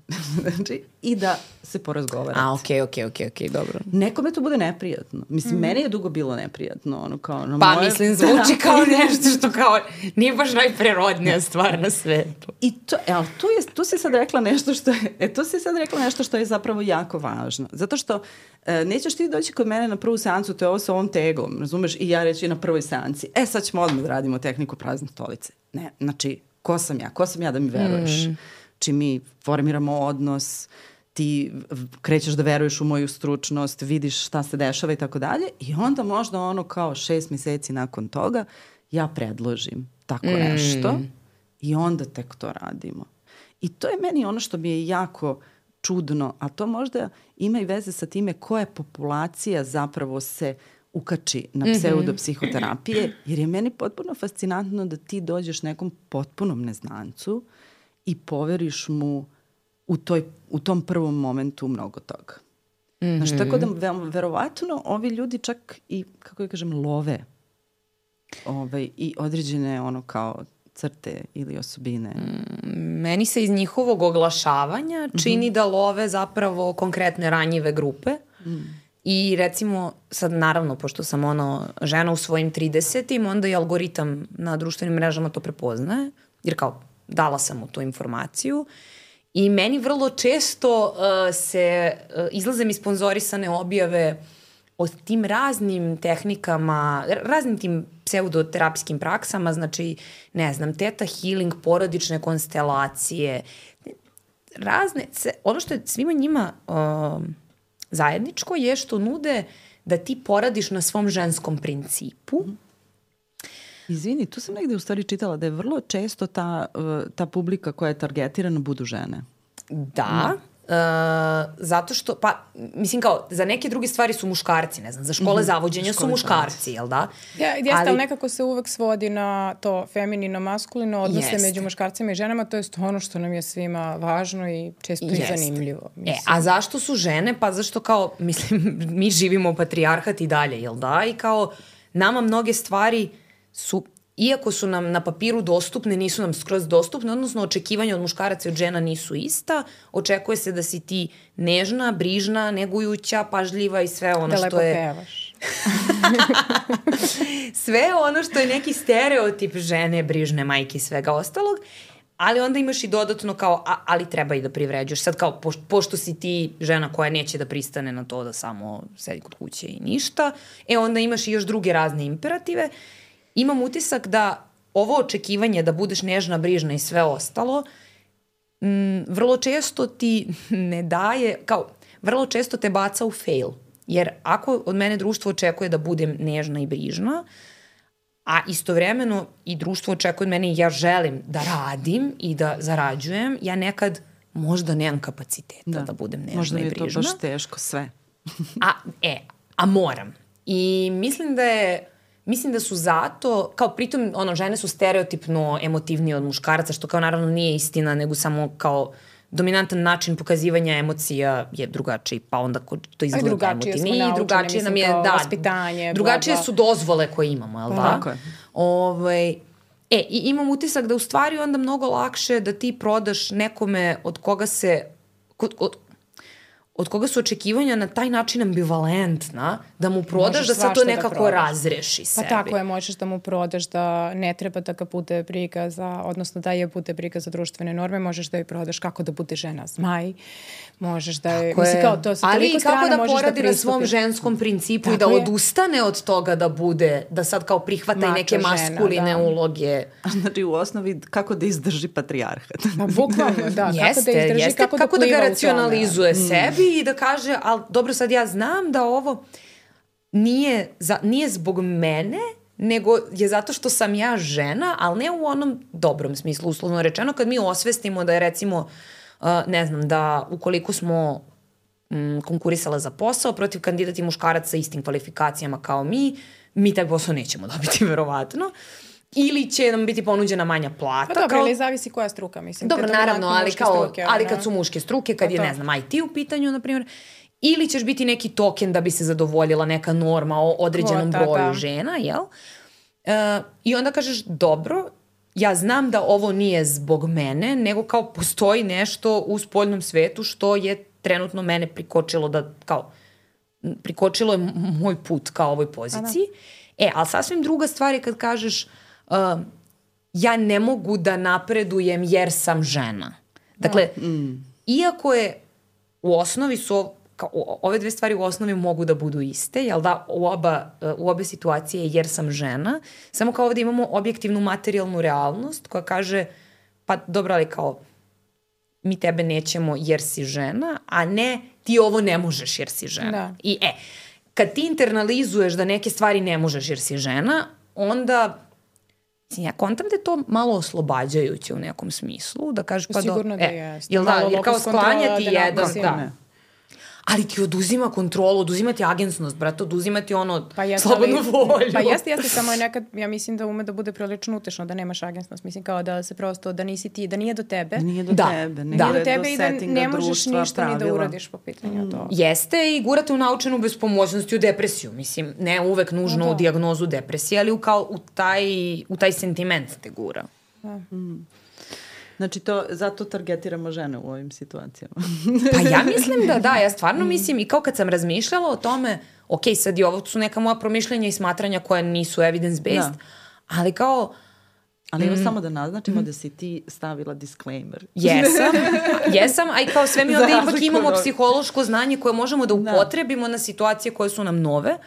znači, i da se porazgovarate. Okej, dobro. Nekome to bude neprijatno. Mislim, meni je dugo bilo neprijatno. Ono, kao, mislim, zvuči kao nešto što kao nije baš najprirodnija stvar na svetu. I tu si sad rekla nešto što je zapravo jako važno. Zato što nećeš ti doći kod mene na prvu seansu, to je ovo sa ovom teglom, razumeš? I ja reći na prvoj seansi, sad ćemo odmah da radimo tehniku prazne stolice. Ne, znači, ko sam ja da mi veruješ? Čim mi formiramo odnos, ti krećeš da veruješ u moju stručnost, vidiš šta se dešava i tako dalje i onda možda ono kao 6 meseci nakon toga ja predložim tako nešto i onda tek to radimo. I to je meni ono što mi je jako čudno, a to možda ima i veze sa time koja populacija zapravo se ukači na pseudopsihoterapije, jer je meni potpuno fascinantno da ti dođeš nekom potpunom neznancu i poveriš mu u tom prvom momentu mnogo toga. Znaš, tako da verovatno ovi ljudi čak i, kako ja kažem, love i određene ono kao crte ili osobine. Meni se iz njihovog oglašavanja čini da love zapravo konkretne ranjive grupe. I recimo, sad naravno, pošto sam žena u svojim 30-im, onda i algoritam na društvenim mrežama to prepoznaje, jer kao dala sam mu tu informaciju i meni vrlo često izlaze mi sponzorisane objave o tim raznim tehnikama, raznim tim pseudoterapijskim praksama, znači, ne znam, theta healing, porodične konstelacije, razne, ono što je svima njima zajedničko je što nude da ti poradiš na svom ženskom principu. Izvini, tu sam negde u stvari čitala da je vrlo često ta publika koja je targetirana budu žene. Da, zato što, mislim kao, za neke druge stvari su muškarci, ne znam, za škole zavođenja su muškarci, jel da? Jeste, ali nekako se uvek svodi na to feminino-maskulino, odnose među muškarcima i ženama, to je ono što nam je svima važno i često i zanimljivo. A zašto su žene? Pa zašto kao, mislim, mi živimo u patrijarhat i dalje, jel da? I kao, nama mnoge stvari su, iako su nam na papiru dostupne, nisu nam skroz dostupne, odnosno očekivanja od muškaraca i od žena nisu ista. Očekuje se da si ti nežna, brižna, negujuća, pažljiva i sve ono što je... Da lepo pevaš. Sve ono što je neki stereotip žene, brižne, majke i svega ostalog. Ali onda imaš i dodatno kao, ali treba i da privređuješ. Sad kao, pošto si ti žena koja neće da pristane na to da samo sedi kod kuće i ništa, onda imaš i još druge razne imperative. Imam utisak da ovo očekivanje da budeš nežna, brižna i sve ostalo, vrlo često ti ne daje, kao, vrlo često te baca u fail. Jer ako od mene društvo očekuje da budem nežna i brižna, a istovremeno i društvo očekuje od mene i ja želim da radim i da zarađujem, ja nekad možda nemam kapaciteta da budem nežna i brižna. Možda mi je to baš teško sve. A moram. I mislim da su zato, kao pritom, žene su stereotipno emotivnije od muškaraca, što kao naravno nije istina, nego samo kao dominantan način pokazivanja emocija je drugačiji, pa onda to izgleda emotivniji. I drugačije nam je, vaspitanje, drugačije su dozvole koje imamo, jel da? Tako je. I imam utisak da u stvari onda mnogo lakše da ti prodaš nekome od koga su očekivanja na taj način ambivalentna, da mu prodaš da se to nekako razreši sebi. Pa tako je, možeš da mu prodaš da ne treba da ga bude briga odnosno da je bude briga za društvene norme, možeš da joj prodaš kako da bude žena zmaj, možeš da je... Mislim, kao to sa toliko strana možeš da pristupi. Ali kako da poradi na svom ženskom principu i da odustane od toga da bude, da sad kao prihvata i neke maskuline uloge. Znači u osnovi kako da izdrži patrijarhat. Pa bukvalno, da. Kako da ga racionalizuje sebi i da kaže, ali dobro, sad ja znam da ovo nije zbog mene, nego je zato što sam ja žena, ali ne u onom dobrom smislu, uslovno rečeno, kad mi osvestimo da je recimo, ne znam, da ukoliko smo konkurisala za posao protiv kandidati muškaraca sa istim kvalifikacijama kao mi taj posao nećemo dobiti verovatno. ili će nam biti ponuđena manja plata. Pa dobro, ili zavisi koja struka, mislim. Dobro, naravno, ali kad su muške struke, kad je, ne znam, IT u pitanju, na primjer, ili ćeš biti neki token da bi se zadovoljila neka norma o određenom broju žena, jel? I onda kažeš, dobro, ja znam da ovo nije zbog mene, nego kao postoji nešto u spoljnom svetu što je trenutno mene prikočilo da, kao, prikočilo je moj put ka ovoj poziciji. Ali sasvim druga stvar je kad kažeš ja ne mogu da napredujem jer sam žena. Dakle, iako je u osnovi su ove dve stvari u osnovi mogu da budu iste, jel da, u obe situacije jer sam žena, samo kao ovde imamo objektivnu materijalnu realnost koja kaže, pa dobro, ali kao mi tebe nećemo jer si žena, a ne ti ovo ne možeš jer si žena. Da. I kad ti internalizuješ da neke stvari ne možeš jer si žena, onda ja kontam da je to malo oslobađajuće u nekom smislu, da kažeš pa sigurno da jeste. Jel da, jer kao sklanjati jedan, da. Ali ti oduzima kontrolu, oduzima ti agensnost, brate, oduzima ti ono slobodnu volju. Pa jeste, samo je nekad, ja mislim da ume da bude prilično utešno, da nemaš agensnost. Mislim kao da se prosto, da nisi ti, da nije do tebe. Nije do tebe, nije do tebe i da ne možeš ništa ni da uradiš po pitanju to. Jeste i gurate u naučenu bespomoćnost i u depresiju. Mislim, ne uvek nužno u dijagnozu depresije, ali u taj sentiment te gura. Znači, zato targetiramo žene u ovim situacijama. Pa ja mislim da, ja stvarno mislim i kao kad sam razmišljala o tome, ok, sad i ovo su neka moja promišljenja i smatranja koja nisu evidence-based, ali kao... Ali evo samo da naznačimo da si ti stavila disclaimer. Jesam, a i kao sve mi onda ipak imamo psihološko znanje koje možemo da upotrebimo na situacije koje su nam nove.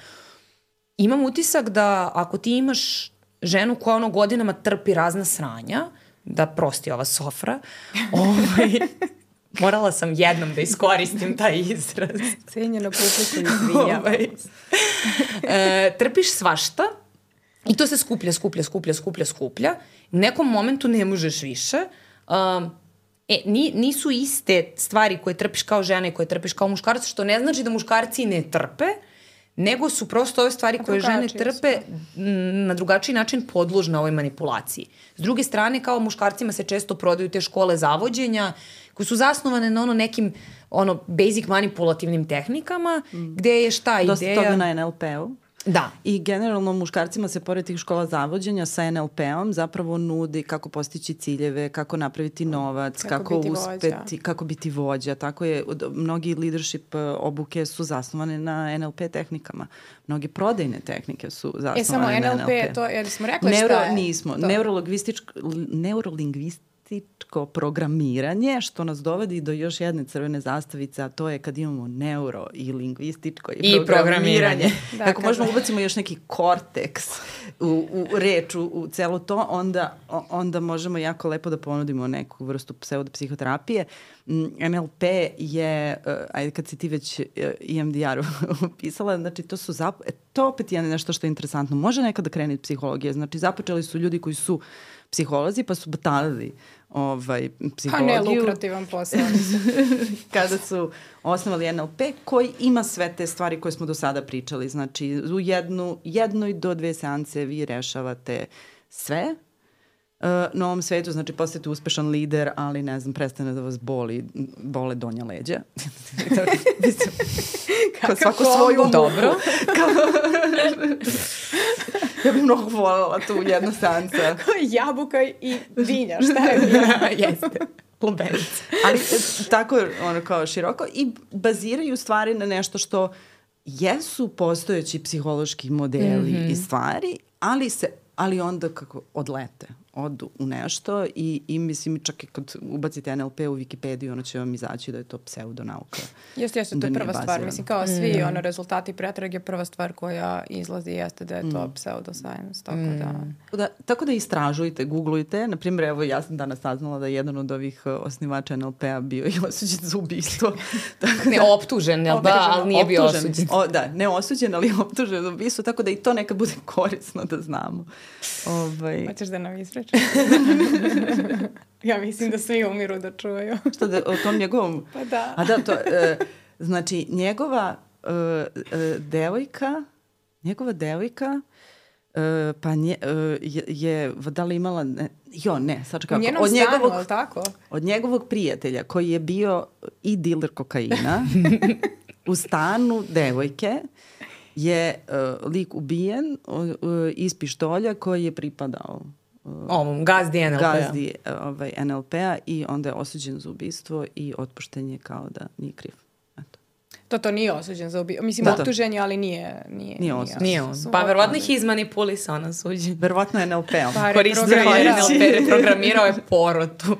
Imam utisak da ako ti imaš ženu koja godinama trpi razna sranja, da prosti ova Sofra, morala sam jednom da iskoristim taj izraz. Cenjeno publiku izvinjava. Trpiš svašta i to se skuplja. U nekom momentu ne možeš više. Nisu iste stvari koje trpiš kao žena i koje trpiš kao muškarac, što ne znači da muškarci ne trpe, nego su prosto ove stvari koje žene trpe na drugačiji način podložne ovoj manipulaciji. S druge strane, kao muškarcima se često prodaju te škole zavođenja koje su zasnovane na nekim basic manipulativnim tehnikama, gde je šta ideja... Dosta toga na NLP-u. Da. I generalno muškarcima se pored tih škola zavođenja sa NLP-om zapravo nudi kako postići ciljeve, kako napraviti novac, kako uspeti, kako biti vođa. Tako je, mnogi leadership obuke su zasnovane na NLP tehnikama. Mnogi prodajne tehnike su zasnovane na NLP. Samo NLP, to jer smo rekli šta je? Nismo. Neurolingvističko programiranje, što nas dovodi do još jedne crvene zastavice, a to je kad imamo neuro i lingvističko i programiranje. Ako možemo ubacimo još neki korteks u reč, u celo to, onda možemo jako lepo da ponudimo neku vrstu pseudopsihoterapije. NLP je, ajde kad si ti već EMDR upisala, znači to opet je nešto što je interesantno. Može nekada krenuti psihologija, znači započeli su ljudi koji su psiholozi pa su batalili psihologiju. Pa ne, lukrativan posao. Kada su osnovali NLP koji ima sve te stvari koje smo do sada pričali. Znači u jednoj do 2 seance vi rešavate sve na ovom svetu, znači postajete uspešan lider, ali ne znam, prestane da vas bole donja leđa. Kao svako svoju dobro. Ja bih mnogo voljela tu jednu seansa. Jabuka i vinja, šta je vinja? Jeste. Lubenica. Ali tako kao široko i baziraju stvari na nešto što jesu postojeći psihološki modeli i stvari, ali onda kako odu u nešto i mislim čak i kad ubacite NLP u Wikipediju, ono će vam izaći da je to pseudonauka. Jeste, to je prva stvar. Mislim, kao svi rezultati pretrage, prva stvar koja izlazi jeste da je to pseudoscience. Tako da istražujte, googlujte. Naprimjer, evo ja sam danas saznala da je jedan od ovih osnivača NLP-a bio i osuđen za ubistvo. Ne optužen, ali nije bio osuđen. Ne osuđen, ali optužen za ubistvo, tako da i to nekad bude korisno da znamo. Hoćeš da nam ispričaš? Ja mislim da svi umiru da čuju. Što da, o tom njegovom... Pa da. A da, to, njegova devojka Pa je da li imala... sad kako. U njenom stanu, ali tako? Od njegovog prijatelja koji je bio i diler kokaina u stanu devojke je lik ubijen iz pištolja koji je pripadao gazdi NLP-a. Gazdi NLP-a i onda je osuđen za ubistvo i otpušten je kao da nije kriv. To nije osuđen za ubistvo. Mislim, optužen je, ali nije osuđen. Nije on. Pa verovatno ih izmanipulisao na suđenju. Verovatno je NLP-om. Pa reprogramirao je porotu.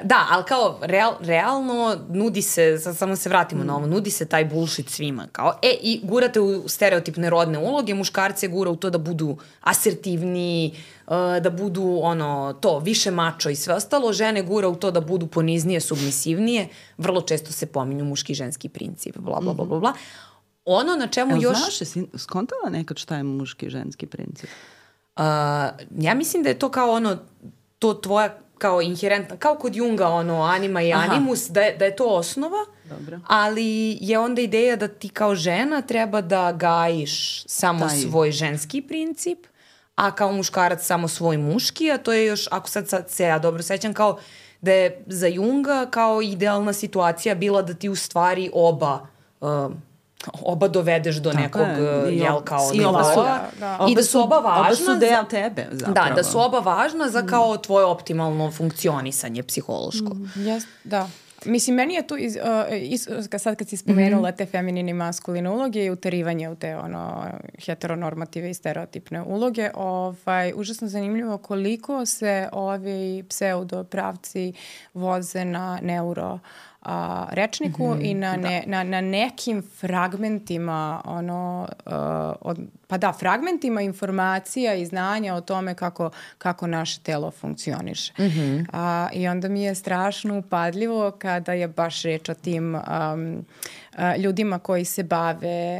Da, ali kao realno nudi se, samo se vratimo na ovo, nudi se taj bullshit svima. Kao, i gurate u stereotipne rodne uloge, muškarce gura u to da budu asertivniji, da budu više mačo i sve ostalo, žene gura u to da budu poniznije, submisivnije, vrlo često se pominju muški i ženski princip, bla, bla, bla, bla, bla. Ono na čemu još... Znaš, jesi skontala nekad šta je muški i ženski princip? Ja mislim da je to kao to tvoja kao inherentna, kao kod Junga anima i animus, da je to osnova, dobro. Ali je onda ideja da ti kao žena treba da gajiš samo svoj ženski princip, a kao muškarac samo svoj muški, a to je još, ako sad se ja dobro sećam, kao da je za Junga kao idealna situacija bila da ti u stvari oba dovedeš do nekog kao nivoa. I da su oba važna. Oba su deo tebe, zapravo. Da su oba važna za kao tvoje optimalno funkcionisanje psihološko. Da. Mislim, meni je tu, sad kad si spomenula te feminine i maskuline uloge i uterivanje u te heteronormative i stereotipne uloge, užasno zanimljivo koliko se ovi pseudopravci voze na neuro rečniku i na nekim fragmentima fragmentima informacija i znanja o tome kako naše telo funkcioniše. I onda mi je strašno upadljivo kada je baš reč o tim ljudima koji se bave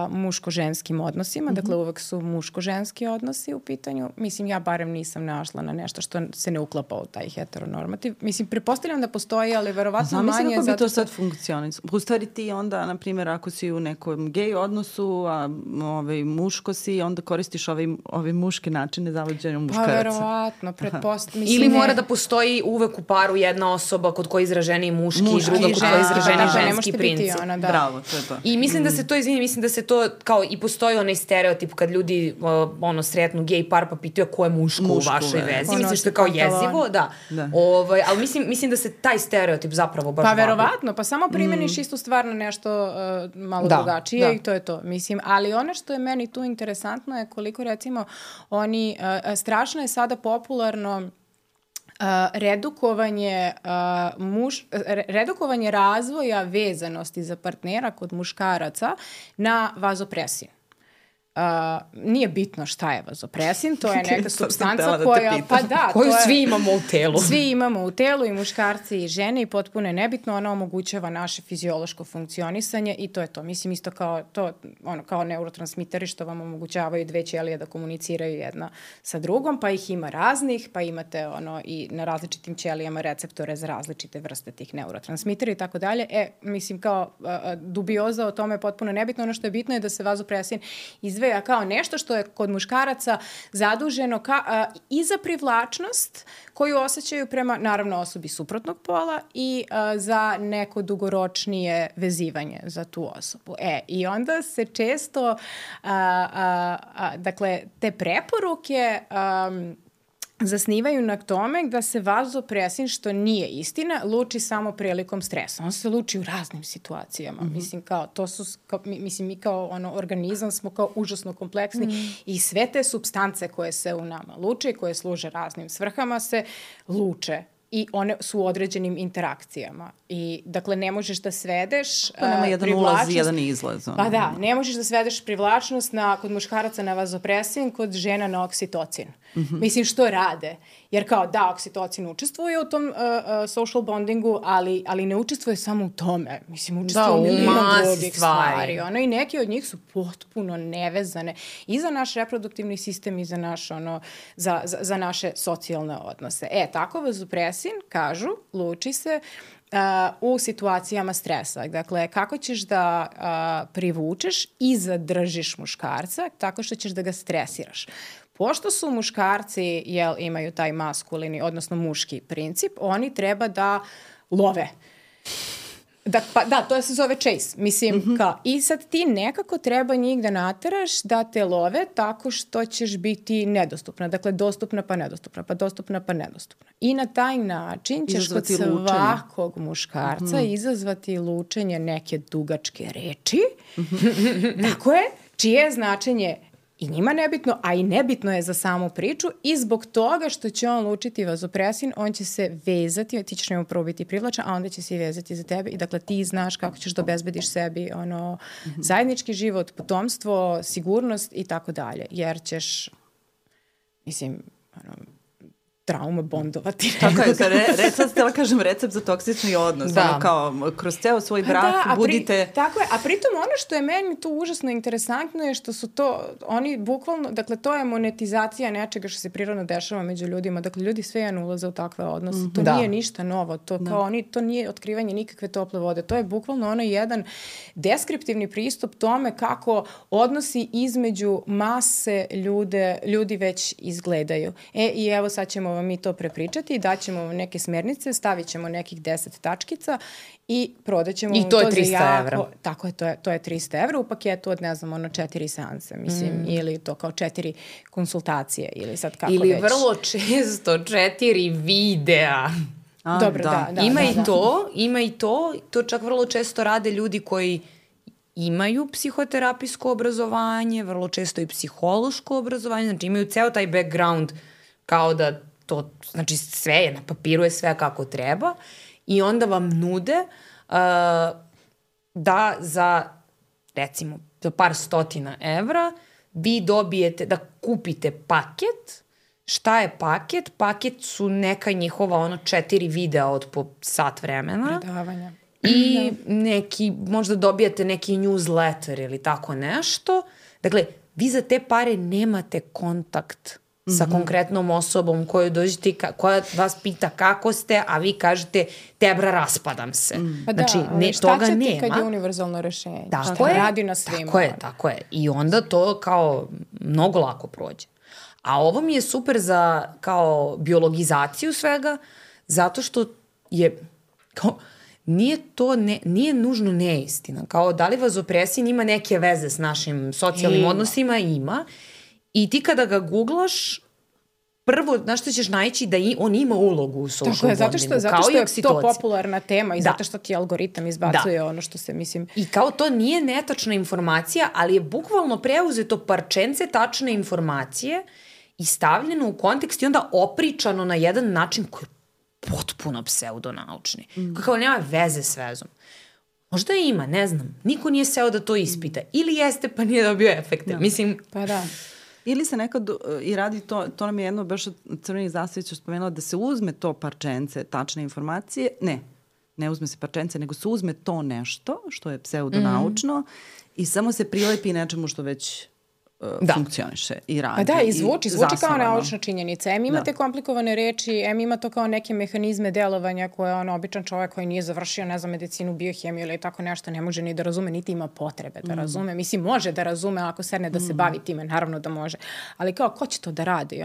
muško-ženskim odnosima, dakle uvek su muško-ženski odnosi u pitanju. Mislim, ja barem nisam našla na nešto što se ne uklapa u taj heteronormativ. Mislim, pretpostavljam da postoji, ali verovatno manje. Znam, kako bi to sad funkcionisalo. U stvari ti onda, na primjer, ako si u nekom gej odnosu, a muško si, onda koristiš ove muške načine zavođenja muškaraca. Pa verovatno, pretpostavljam. Ili mora da postoji uvek u paru jedna osoba kod koje je izraženiji muški i druga kod koje je izraženiji ženski princip. Bravo, to je to. I mislim da se to, mislim da se to kao i postoji onaj stereotip kad ljudi sretnu gej par pa pitaju ko je muško u vašoj vezi. Mislim što je kao jezivo, da. Ali mislim da se taj stereotip zapravo baš verovatno, pa samo primeniš istu stvar na nešto malo drugačije i to je to. Mislim, ali ono što je meni tu interesantno je koliko recimo strašno je sada popularno redukovanje razvoja vezanosti za partnera kod muškaraca na vazopresin. Nije bitno šta je vazopresin, to je neka supstanca koju svi imamo u telu. Svi imamo u telu, i muškarci i žene, i potpuno je nebitno, ona omogućava naše fiziološko funkcionisanje i to je to. Mislim, isto kao neurotransmiteri što vam omogućavaju dve ćelije da komuniciraju jedna sa drugom, pa ih ima raznih, pa imate i na različitim ćelijama receptore za različite vrste tih neurotransmitera i tako dalje. Mislim, kao dubioza o tome je potpuno nebitno. Ono što je bitno je da se vazopresin izdvaja kao nešto što je kod muškaraca zaduženo i za privlačnost koju osjećaju prema, naravno, osobi suprotnog pola i za neko dugoročnije vezivanje za tu osobu. I onda se često, dakle, te preporuke zasnivaju na tome da se vazopresin, što nije istina, luči samo prilikom stresa. On se luči u raznim situacijama. Mislim, mi kao organizam smo kao užasno kompleksni i sve te supstance koje se u nama luče i koje služe raznim svrhama se luče. I one su u određenim interakcijama. I, dakle, ne možeš da svedeš nema jedan ulaz i jedan izlaz. Pa da, ne možeš da svedeš privlačnost kod muškaraca na vazopresin, kod žena na oksitocin. Mislim, što rade? Jer kao, da, oksitocin učestvuje u tom social bondingu, ali ne učestvuje samo u tome. Mislim, učestvuje u milion drugih stvari. I neke od njih su potpuno nevezane i za naš reproduktivni sistem i za naš, za naše socijalne odnose. Tako vazopresin, kažu, luči se u situacijama stresa. Dakle, kako ćeš da privučeš i zadržiš muškarca tako što ćeš da ga stresiraš. Pošto su muškarci, imaju taj maskulini, odnosno muški princip, oni treba da love. To se zove chase. Mislim, i sad ti nekako treba njih da nateraš da te love tako što ćeš biti nedostupna. Dakle, dostupna pa nedostupna, pa dostupna pa nedostupna. I na taj način ćeš kod svakog muškarca izazvati lučenje neke dugačke reči. Tako je, čije značenje i njima nebitno, a i nebitno je za samu priču i zbog toga što će on lučiti vazopresin, on će se vezati, ti ćeš njemu prvo biti privlačan, a onda će se i vezati za tebe i dakle ti znaš kako ćeš da obezbediš sebi zajednički život, potomstvo, sigurnost i tako dalje, jer ćeš, mislim, trauma bondovati. Tako je, sad htjela kažem recept za toksični odnos. Da. Ono kao, kroz ceo svoj brak budite... Tako je, a pritom ono što je meni tu užasno interesantno je što su to, oni bukvalno, dakle, to je monetizacija nečega što se prirodno dešava među ljudima. Dakle, ljudi svejedno ulaze u takve odnose. To nije ništa novo. To nije otkrivanje nikakve tople vode. To je bukvalno jedan deskriptivni pristup tome kako odnosi između mase ljudi već izgledaju. I evo sad ćemo vam mi to prepričati, daćemo vam neke smernice, stavit ćemo nekih 10 tačkica i prodaćemo vam to za 300 evra. Tako je, to je 300 evra u paketu od, 4 seanse, mislim, ili to kao 4 konsultacije, ili sad kako ili već. Ili vrlo često 4 videa. Dobro, da. Ima i to čak vrlo često rade ljudi koji imaju psihoterapijsko obrazovanje, vrlo često i psihološko obrazovanje, znači imaju ceo taj background kao da to, znači sve je, na papiru je sve kako treba i onda vam nude da za, recimo, za par stotina evra vi dobijete, da kupite paket. Šta je paket? Paket su neka njihova 4 videa od po sat vremena. Predavanja. I neki, možda dobijate neki newsletter ili tako nešto. Dakle, vi za te pare nemate kontakt sa konkretnom osobom koju dođete, koja vas pita kako ste, a vi kažete tebra raspadam se. Pa znači, toga nema. Šta će ti kad je univerzalno rešenje? Šta radi na svima? Tako je. I onda to kao mnogo lako prođe. A ovo mi je super za kao biologizaciju svega, zato što je kao, nije nužno neistina. Kao da li vazopresin ima neke veze s našim socijalnim odnosima? Ima. I ti kada ga googlaš, prvo, znaš što ćeš naći da on ima ulogu u social bondingu. Zato što je to popularna tema i zato što ti algoritam izbacuje ono što se, mislim... I kao to nije netačna informacija, ali je bukvalno preuzeto parčence tačne informacije i stavljeno u kontekst i onda opričano na jedan način koji je potpuno pseudonaučni. Kao nema veze s vezom. Možda ima, ne znam. Niko nije seo da to ispita. Ili jeste pa nije dobio efekte. Mislim... Pa da. Ili se nekad i radi to nam je jedno baš od Crvenih zastavića spomenula da se uzme to parčence tačne informacije. Ne uzme se parčence, nego se uzme to nešto što je pseudonaučno i samo se prilepi nečemu što već funkcioniše i radi. Pa da, i zvuči kao naučna činjenica. Imate komplikovane reči, ima to kao neke mehanizme delovanja koje običan čovjek koji nije završio, ne znam, medicinu, biohemiju ili tako nešto ne može ni da razume, niti ima potrebe da razume. Mislim, može da razume ako sedne da se bavi time, naravno da može. Ali kao, ko će to da radi?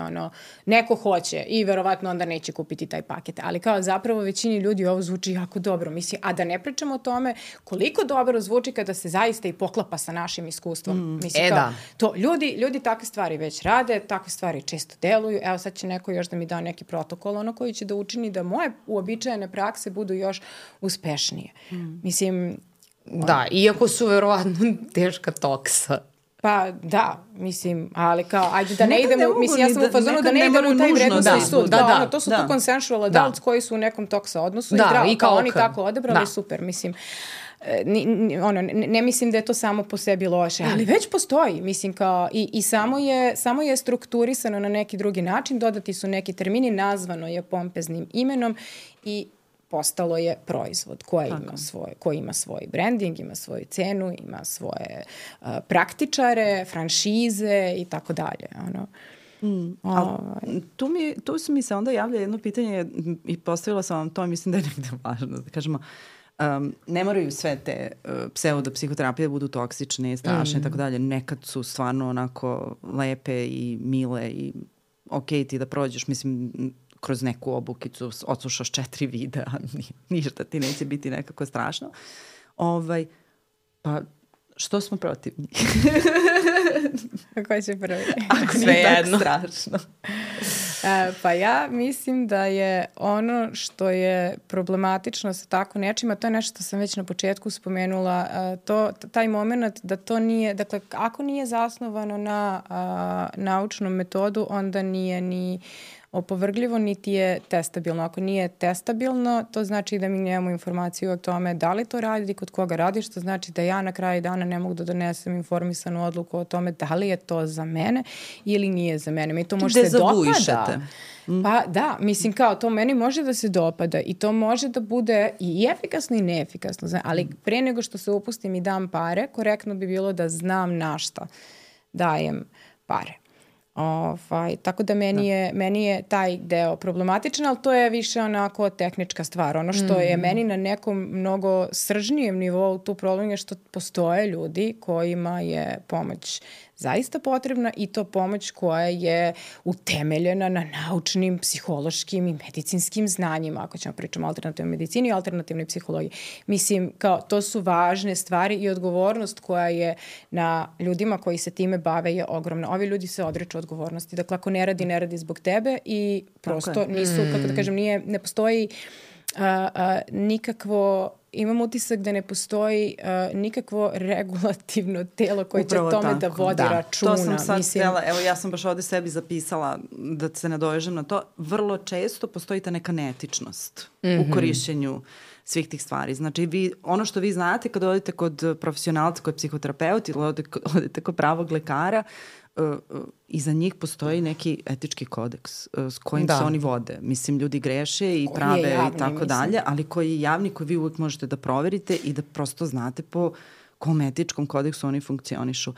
Neko hoće i verovatno onda neće kupiti taj paket. Ali kao zapravo većini ljudi ovo zvuči jako dobro. Mislim, a da ne pričamo o tome koliko dobro zvuči kada se zaista i poklapa sa našim iskustvom. Mislim, to ljudi takve stvari već rade, takve stvari često deluju. Evo sad će neko još da mi da neki protokol koji će da učini da moje uobičajene prakse budu još uspešnije. Mislim... Da, iako su verovatno teška toksa. Pa da, mislim, ali kao, ajde da ne idemo, mislim, ja sam u fazonu da ne idemo u taj vrednostni sud. To su tu consensual adults koji su u nekom toksa odnosu i zdravo, kao oni tako odebrali, super, mislim. Ne mislim da je to samo po sebi loše, ali već postoji, mislim, kao i samo je strukturisano na neki drugi način, dodati su neki termini, nazvano je pompeznim imenom i postalo je proizvod koji ima svoj branding, ima svoju cenu, ima svoje praktičare, franšize i tako dalje. Tu mi se onda javlja jedno pitanje i postavila sam vam to i mislim da je negde važno da kažemo. Ne moraju sve te pseudopsihoterapije da budu toksične, strašne i tako dalje. Nekad su stvarno onako lepe i mile i okej ti da prođeš, mislim, kroz neku obukicu, odslušaš 4 videa, ništa ti neće biti nekako strašno. Pa što smo protivni? Ko će prvi? Ako nije tako strašno. Pa ja mislim da je ono što je problematično sa tako nečima, to je nešto što sam već na početku spomenula, taj moment da to nije, dakle, ako nije zasnovano na naučnom metodu, onda nije ni opovrgljivo, niti je testabilno. Ako nije testabilno, to znači da mi nemamo informaciju o tome da li to radi, kod koga radi, što znači da ja na kraju dana ne mogu da donesem informisanu odluku o tome da li je to za mene ili nije za mene. Mi to može se dopada. Pa da, mislim kao to meni može da se dopada i to može da bude i efikasno i neefikasno, ali pre nego što se upustim i dam pare, korektno bi bilo da znam na šta dajem pare. Tako da meni je taj deo problematičan, ali to je više onako tehnička stvar. Ono što je meni na nekom mnogo sržnijem nivou tu problem je što postoje ljudi kojima je pomoć zaista potrebna i to pomoć koja je utemeljena na naučnim, psihološkim i medicinskim znanjima, ako ćemo pričati o alternativnoj medicini i alternativnoj psihologiji. Mislim, kao to su važne stvari i odgovornost koja je na ljudima koji se time bave je ogromna. Ovi ljudi se odriču odgovornosti. Dakle, ako ne radi zbog tebe i prosto nisu, kako da kažem, ne postoji nikakvo, imam utisak da ne postoji nikakvo regulativno telo koje će tome da vodi računa. To sam sad htjela, evo ja sam baš ovde sebi zapisala da se nadovežem na to. Vrlo često postoji ta neka neetičnost u korišćenju svih tih stvari. Znači, ono što vi znate kad odete kod profesionalca, kod psihoterapeuta ili odete kod pravog lekara, iza njih postoji neki etički kodeks s kojim se oni vode. Mislim, ljudi greše i prave i tako dalje, ali koji je javni, koji vi uvijek možete da proverite i da prosto znate po kom etičkom kodeksu oni funkcionišu.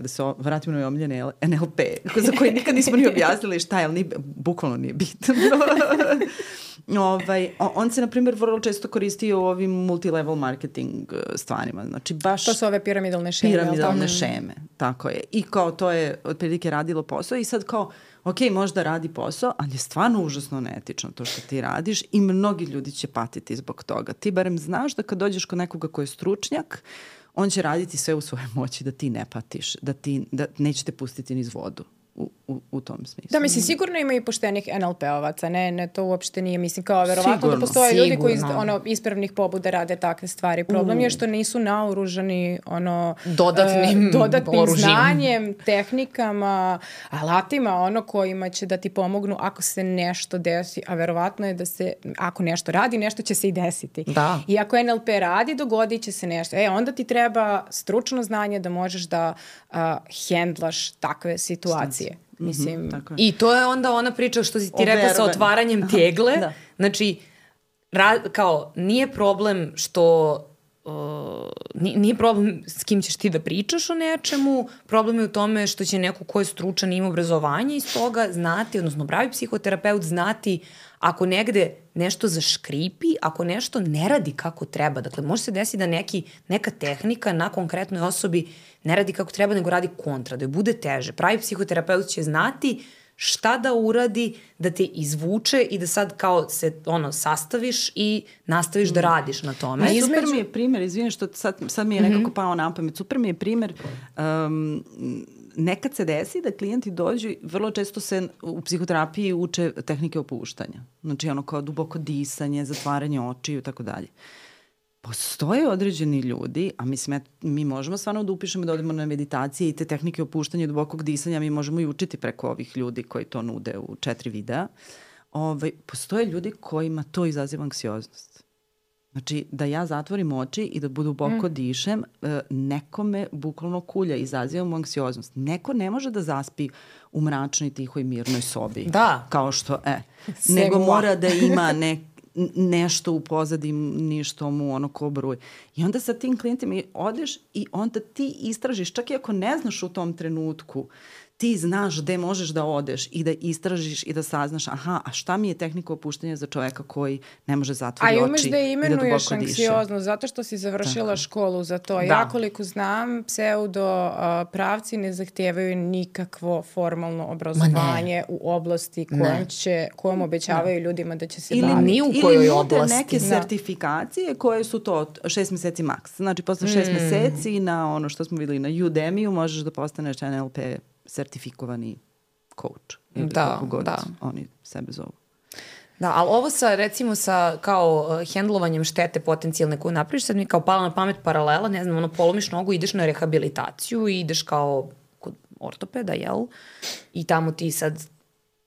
Da se vratim na omiljene NLP, za koji nikad nismo ni objasnili šta je, ali bukvalno nije bitno. On se, na primjer, vrlo često koristi u ovim multilevel marketing stvarima. Znači, baš to su ove piramidalne šeme. Piramidalne šeme, tako je. I kao to je otprilike radilo posao i sad kao, ok, možda radi posao, ali je stvarno užasno neetično to što ti radiš i mnogi ljudi će patiti zbog toga. Ti barem znaš da kad dođeš kod nekoga ko je stručnjak, on će raditi sve u svojoj moći da ti ne patiš, da neće te pustiti niz vodu. U tom smislu. Da, mislim, sigurno ima i poštenih NLP-ovaca, ne, to uopšte nije, mislim, kao verovatno da postoje ljudi koji ispravnih pobuda rade takve stvari. Problem je što nisu naoružani dodatnim znanjem, tehnikama, alatima, kojima će da ti pomognu ako se nešto desi, a verovatno je da se, ako nešto radi, nešto će se i desiti. Da. I ako NLP radi, dogodit će se nešto. Onda ti treba stručno znanje da možeš da hendlaš takve situacije. Mislim, i to je onda ona priča što si ti rekla sa otvaranjem tegle. Znači, kao, nije problem što nije problem s kim ćeš ti da pričaš o nečemu, problem je u tome što će neko ko je stručan i ima obrazovanje iz toga znati, odnosno pravi psihoterapeut znati ako negde nešto zaškripi, ako nešto ne radi kako treba. Dakle, može se desiti da neka tehnika na konkretnoj osobi ne radi kako treba, nego radi kontra, da joj bude teže. Pravi psihoterapeut će znati šta da uradi, da te izvuče i da sad kao se sastaviš i nastaviš da radiš na tome. Super mi je primjer, izvijem što sad mi je nekako pao na pamet, super mi je primjer, nekad se desi da klijenti dođu, vrlo često se u psihoterapiji uče tehnike opuštanja. Znači kao duboko disanje, zatvaranje očiju i tako dalje. Postoje određeni ljudi, a mislim, mi možemo stvarno da upišemo da odemo na meditacije i te tehnike opuštanja i dubokog disanja, mi možemo i učiti preko ovih ljudi koji to nude u 4 videa. Postoje ljudi kojima to izaziva anksioznost. Znači, da ja zatvorim oči i da duboko dišem, nekome bukvalno kulja, izaziva mu anksioznost. Neko ne može da zaspi u mračnoj, tihoj, mirnoj sobi. Da. Kao što, nego mora da ima nešto u pozadini što mu ko bruje. I onda sa tim klijentima odeš i onda ti istražiš, čak i ako ne znaš u tom trenutku, ti znaš gde možeš da odeš i da istražiš i da saznaš, aha, a šta mi je tehnika opuštanja za čoveka koji ne može zatvori oči i da duboko diše. A i umeš da imenuješ anksiozno zato što si završila školu za to. Ja koliko znam, pseudo pravci ne zahtijevaju nikakvo formalno obrazovanje u oblasti kojom obećavaju ljudima da će se baviti. Ili ni u kojoj oblasti. Ili neke sertifikacije koje su to 6 meseci maks. Znači, posle 6 meseci na ono što smo videli na Udemy-u možeš da postaneš NLP sertifikovani coach ili kako god oni sebe zovu. Da, ali ovo sa, recimo, sa kao hendlovanjem štete potencijalne koju napraviš, sad mi kao pala na pamet paralela, ne znam, polomiš nogu, ideš na rehabilitaciju i ideš kao kod ortopeda, jel? I tamo ti sad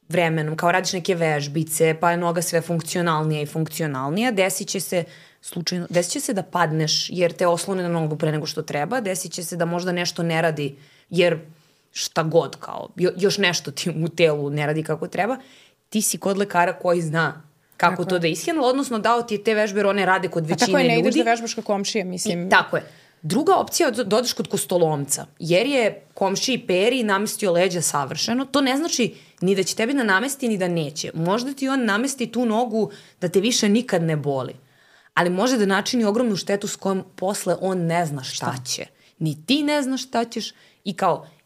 vremenom, kao radiš neke vežbice, pa je noga sve funkcionalnija i funkcionalnija, desit će se da padneš jer te oslone na nogu pre nego što treba, desit će se da možda nešto ne radi jer šta god, kao, još nešto ti u telu ne radi kako treba, ti si kod lekara koji zna kako to da ishendla, odnosno dao ti je te vežbe jer one rade kod većine ljudi. A tako je, ne ideš da vežbaš kao komšije, mislim. I, tako je. Druga opcija je da odeš kod kostolomca, jer je komšiji Peri namestio leđa savršeno. To ne znači ni da će tebi da namesti, ni da neće. Možda ti on namesti tu nogu da te više nikad ne boli, ali može da načini ogromnu štetu s kojom posle on ne zna šta će. Ni ti ne znaš šta ćeš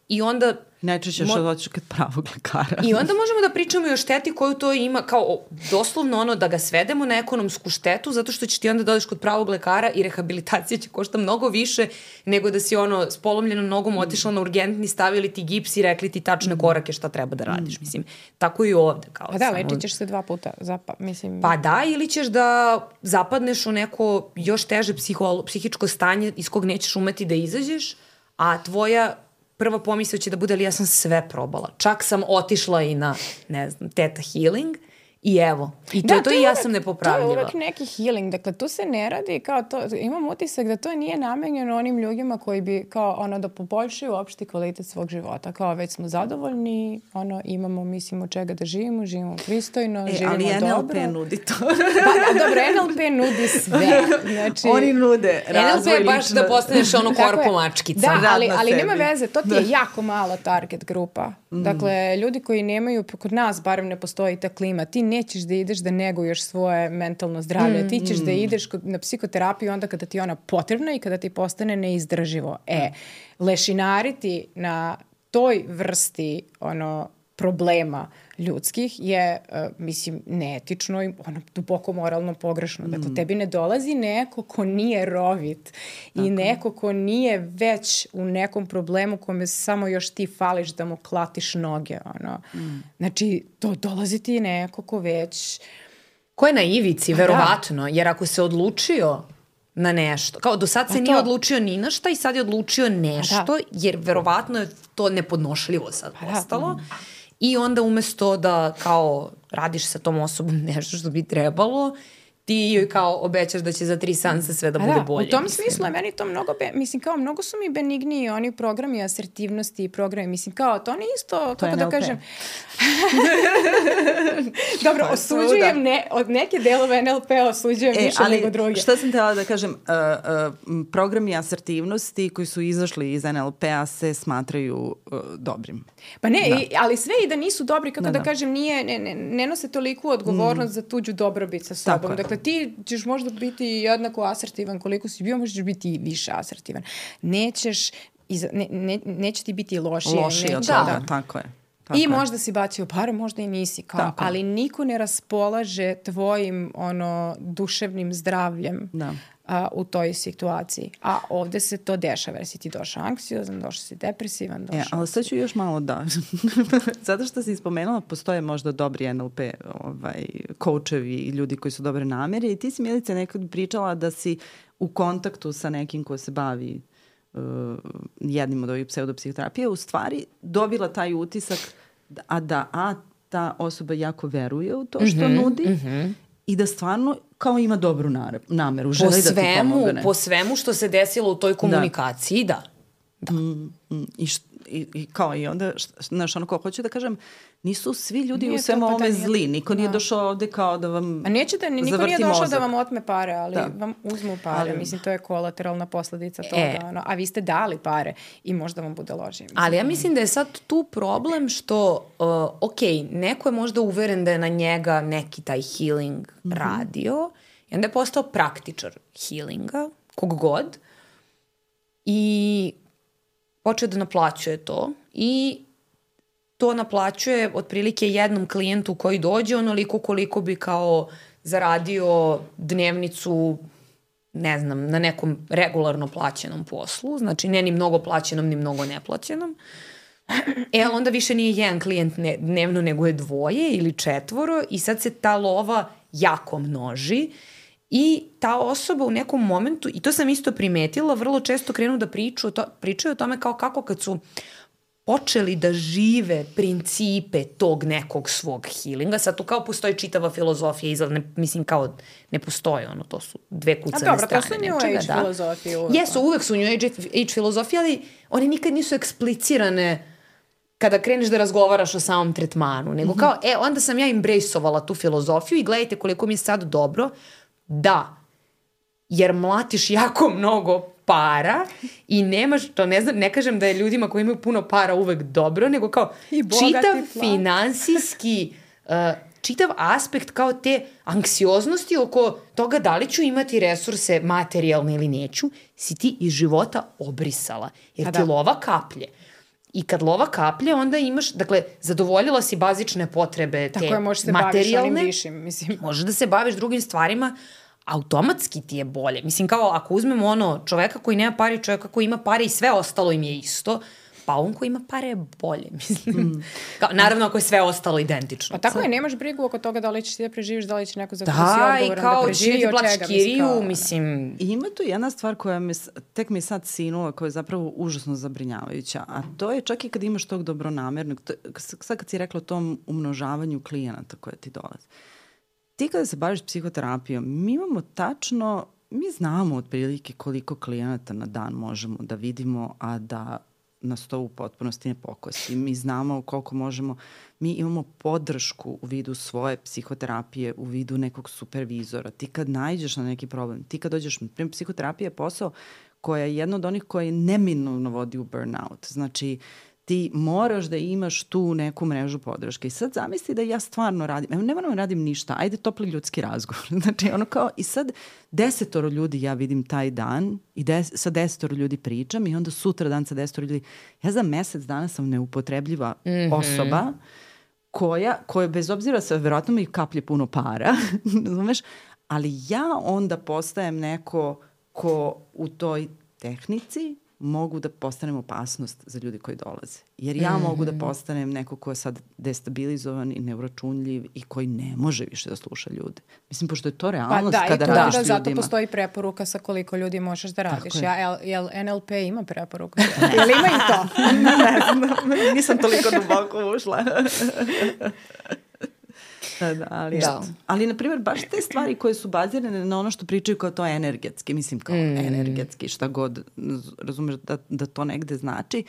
i onda... Najčešće što doćeš kod pravog lekara. I onda možemo da pričamo i o šteti koju to ima, kao doslovno da ga svedemo na ekonomsku štetu, zato što će ti onda dođeš kod pravog lekara i rehabilitacija će košta mnogo više nego da si s polomljenom nogom otišla na urgentni, stavili ti gips i rekli ti tačne korake šta treba da radiš. Mislim, tako i ovde. Kao pa da, lečit ćeš se 2 puta. Mislim... Pa da, ili ćeš da zapadneš u neko još teže psihičko stanje iz kog nećeš umeti da izađeš, a tvoja prva pomisao će da bude, ali ja sam sve probala. Čak sam otišla i na, ne znam, Theta Healing i evo. I to i ja sam nepopravljiva. To je uvek neki healing. Dakle, tu se ne radi kao to. Imam utisak da to nije namenjeno onim ljudima koji bi kao da poboljšaju opšti kvalitet svog života. Kao već smo zadovoljni, imamo, mislimo čega da živimo pristojno, živimo dobro. Ali NLP nudi to. Pa dobro, NLP nudi sve. Znači, oni nude razvoj NLP je baš da postaneš korpo mačkica. Da, ali nema veze. To ti je jako malo target grupa. Dakle, ljudi koji nemaju, kod nas barem ne postoji ta klima, ti nećeš da ideš da neguješ svoje mentalno zdravlje. Ti ćeš da ideš na psihoterapiju onda kada ti je ona potrebna i kada ti postane neizdrživo. Lešinariti na toj vrsti problema ljudskih je, mislim, neetično i duboko moralno pogrešno. Dakle, tebi ne dolazi neko ko nije rovit i neko ko nije već u nekom problemu kome samo još ti fališ da mu klatiš noge. Znači, dolazi ti neko ko već... Ko je na ivici, verovatno, jer ako se odlučio na nešto, kao do sad se nije odlučio ni na šta i sad je odlučio nešto, jer verovatno je to nepodnošljivo sad postalo. I onda umesto da kao radiš sa tom osobom nešto što bi trebalo, ti joj kao obećaš da će za 3 seansa sve da bude bolje. U tom smislu je meni to mnogo su mi benigniji oni programi asertivnosti i programi, mislim kao to ne isto, kako da kažem. Dobro, osuđujem od neke delove NLP osuđujem više nego druge. Šta sam htjela da kažem, programi asertivnosti koji su izašli iz NLP-a se smatraju dobrim. Pa ne, ali sve i da nisu dobri, kako da kažem, ne nose toliku odgovornost za tuđu dobrobit sa sobom. Dakle, ti ćeš možda biti jednako asertivan koliko si bio, možeš biti i više asertivan. Neće ti biti lošije. Lošije od toga, tako je. I možda si bacio pare, možda i nisi. Ali niko ne raspolaže tvojim duševnim zdravljem u toj situaciji. A ovde se to dešava. Jer si ti došao anksiozan, došao si depresivan. Ali sad ću još malo zato što si spomenula, postoje možda dobri NLP coachevi i ljudi koji su dobre namere. I ti si, Milice, nekad pričala da si u kontaktu sa nekim ko se bavi jednim od ovih pseudopsihoterapije, u stvari dobila taj utisak da ta osoba jako veruje u to što nudi i da stvarno kao ima dobru nameru. Želi da ti pomogne. Po svemu što se desilo u toj komunikaciji, da. Da. I kao i onda, znaš, ono kao hoću da kažem, nisu svi ljudi u svemu ovome zli. Niko nije došao ovde kao da vam a nećete, niko nije došao da vam otme pare, ali vam uzmu pare. Ali, mislim, to je kolateralna posledica toga. A vi ste dali pare i možda vam bude ložije. Ali ja mislim da je sad tu problem što, ok, neko je možda uveren da je na njega neki taj healing radio i onda je postao praktičar healinga, kog god, i počeo da naplaćuje to i to naplaćuje otprilike jednom klijentu koji dođe onoliko koliko bi kao zaradio dnevnicu, ne znam, na nekom regularno plaćenom poslu, znači ne ni mnogo plaćenom, ni mnogo neplaćenom. Ali onda više nije jedan klijent dnevno, nego je 2 ili 4 i sad se ta lova jako množi i ta osoba u nekom momentu, i to sam isto primetila, vrlo često krenu da pričaju o tome kao kako kad su počeli da žive principe tog nekog svog healinga. Sad tu kao postoji čitava filozofija, mislim kao ne postoji ono, to su 2 kucane strane. A dobro, to su New Age filozofije. Jesu, uvek su New Age filozofije, ali one nikad nisu eksplicirane kada kreneš da razgovaraš o samom tretmanu, nego kao, onda sam ja embraceovala tu filozofiju i gledajte koliko mi je sad dobro, da, jer mlatiš jako mnogo para i nemaš, to ne znam, ne kažem da je ljudima koji imaju puno para uvek dobro, nego kao čitav finansijski, čitav aspekt kao te anksioznosti oko toga da li ću imati resurse materijalne ili neću, si ti iz života obrisala, jer ti lova kaplje. I kad lova kaplje, onda imaš, dakle, zadovoljila si bazične potrebe te materijalne. Tako je, možeš se baviš onim višim, mislim. Možeš da se baviš drugim stvarima, automatski ti je bolje. Mislim, kao ako uzmemo ono čoveka koji nema pare i čoveka koji ima pare i sve ostalo im je isto, pa on koji ima pare je bolje, mislim. Kao, naravno ako je sve ostalo identično. Pa tako je, nemaš brigu oko toga da li ćeš ti da preživiš, da li će neko za koju si odgovoran da preživi, od čega. Kiriju, mislim. I ima tu jedna stvar koja tek mi je sad sinula, koja je zapravo užasno zabrinjavajuća, a to je čak i kad imaš tog dobronamernog, sad kad si rekla o tom umnožavanju klijenata koje ti dolaze. Ti kada se baviš psihoterapijom, mi imamo tačno, mi znamo otprilike koliko klijenata na dan možemo da vidimo, a da nas to u potpunosti ne pokosi. Mi znamo koliko možemo, mi imamo podršku u vidu svoje psihoterapije, u vidu nekog supervizora. Ti kad naiđeš na neki problem, ti kad dođeš, primjer, psihoterapija je posao koja je jedna od onih koja neminovno vodi u burnout. Znači, ti moraš da imaš tu neku mrežu podrške. I sad zamisli da ja stvarno radim, ne moram da radim ništa, ajde topli ljudski razgovor. Znači ono kao, i sad 10 ljudi ja vidim taj dan i sa 10 ljudi pričam i onda sutra dan sa 10 ljudi. Ja za mesec dana sam neupotrebljiva osoba koja bez obzira sa verovatno mi kaplje puno para, razumeš, ali ja onda postajem neko ko u toj tehnici mogu da postanem opasnost za ljudi koji dolaze. Jer ja mogu da postanem neko ko je sad destabilizovan i neuračunljiv i koji ne može više da sluša ljude. Mislim, pošto je to realnost kada radiš s ljudima. Zato postoji preporuka sa koliko ljudi možeš da radiš. Jel NLP ima preporuka? Ili ima i to? Ne znam, nisam toliko duboko ušla. Ali, na primjer, baš te stvari koje su bazirane na ono što pričaju kao to energetski, mislim kao energetski, šta god, razumeš da to negde znači,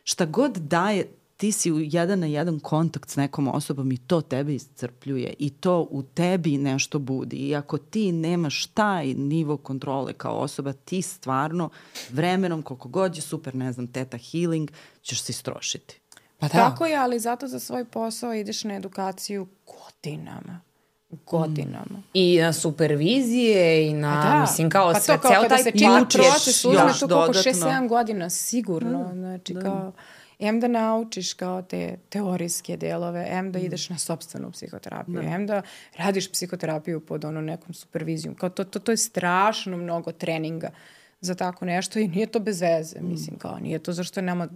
šta god daje, ti si u 1 na 1 kontakt s nekom osobom i to tebe iscrpljuje i to u tebi nešto budi. I ako ti nemaš taj nivo kontrole kao osoba, ti stvarno vremenom, koliko god je super, ne znam, teta healing, ćeš se istrošiti. Pa tako je, ali zato za svoj posao ideš na edukaciju godinama. I na supervizije i na, mislim, kao pa sve, kao ceo taj proces uzme tu koliko 6-7 godina, sigurno. Znači, kao, da naučiš kao te teorijske delove, da ideš na sopstvenu psihoterapiju, da radiš psihoterapiju pod nekom supervizijom. Kao to je strašno mnogo treninga za tako nešto i nije to bez veze, mislim, kao nije to zašto nama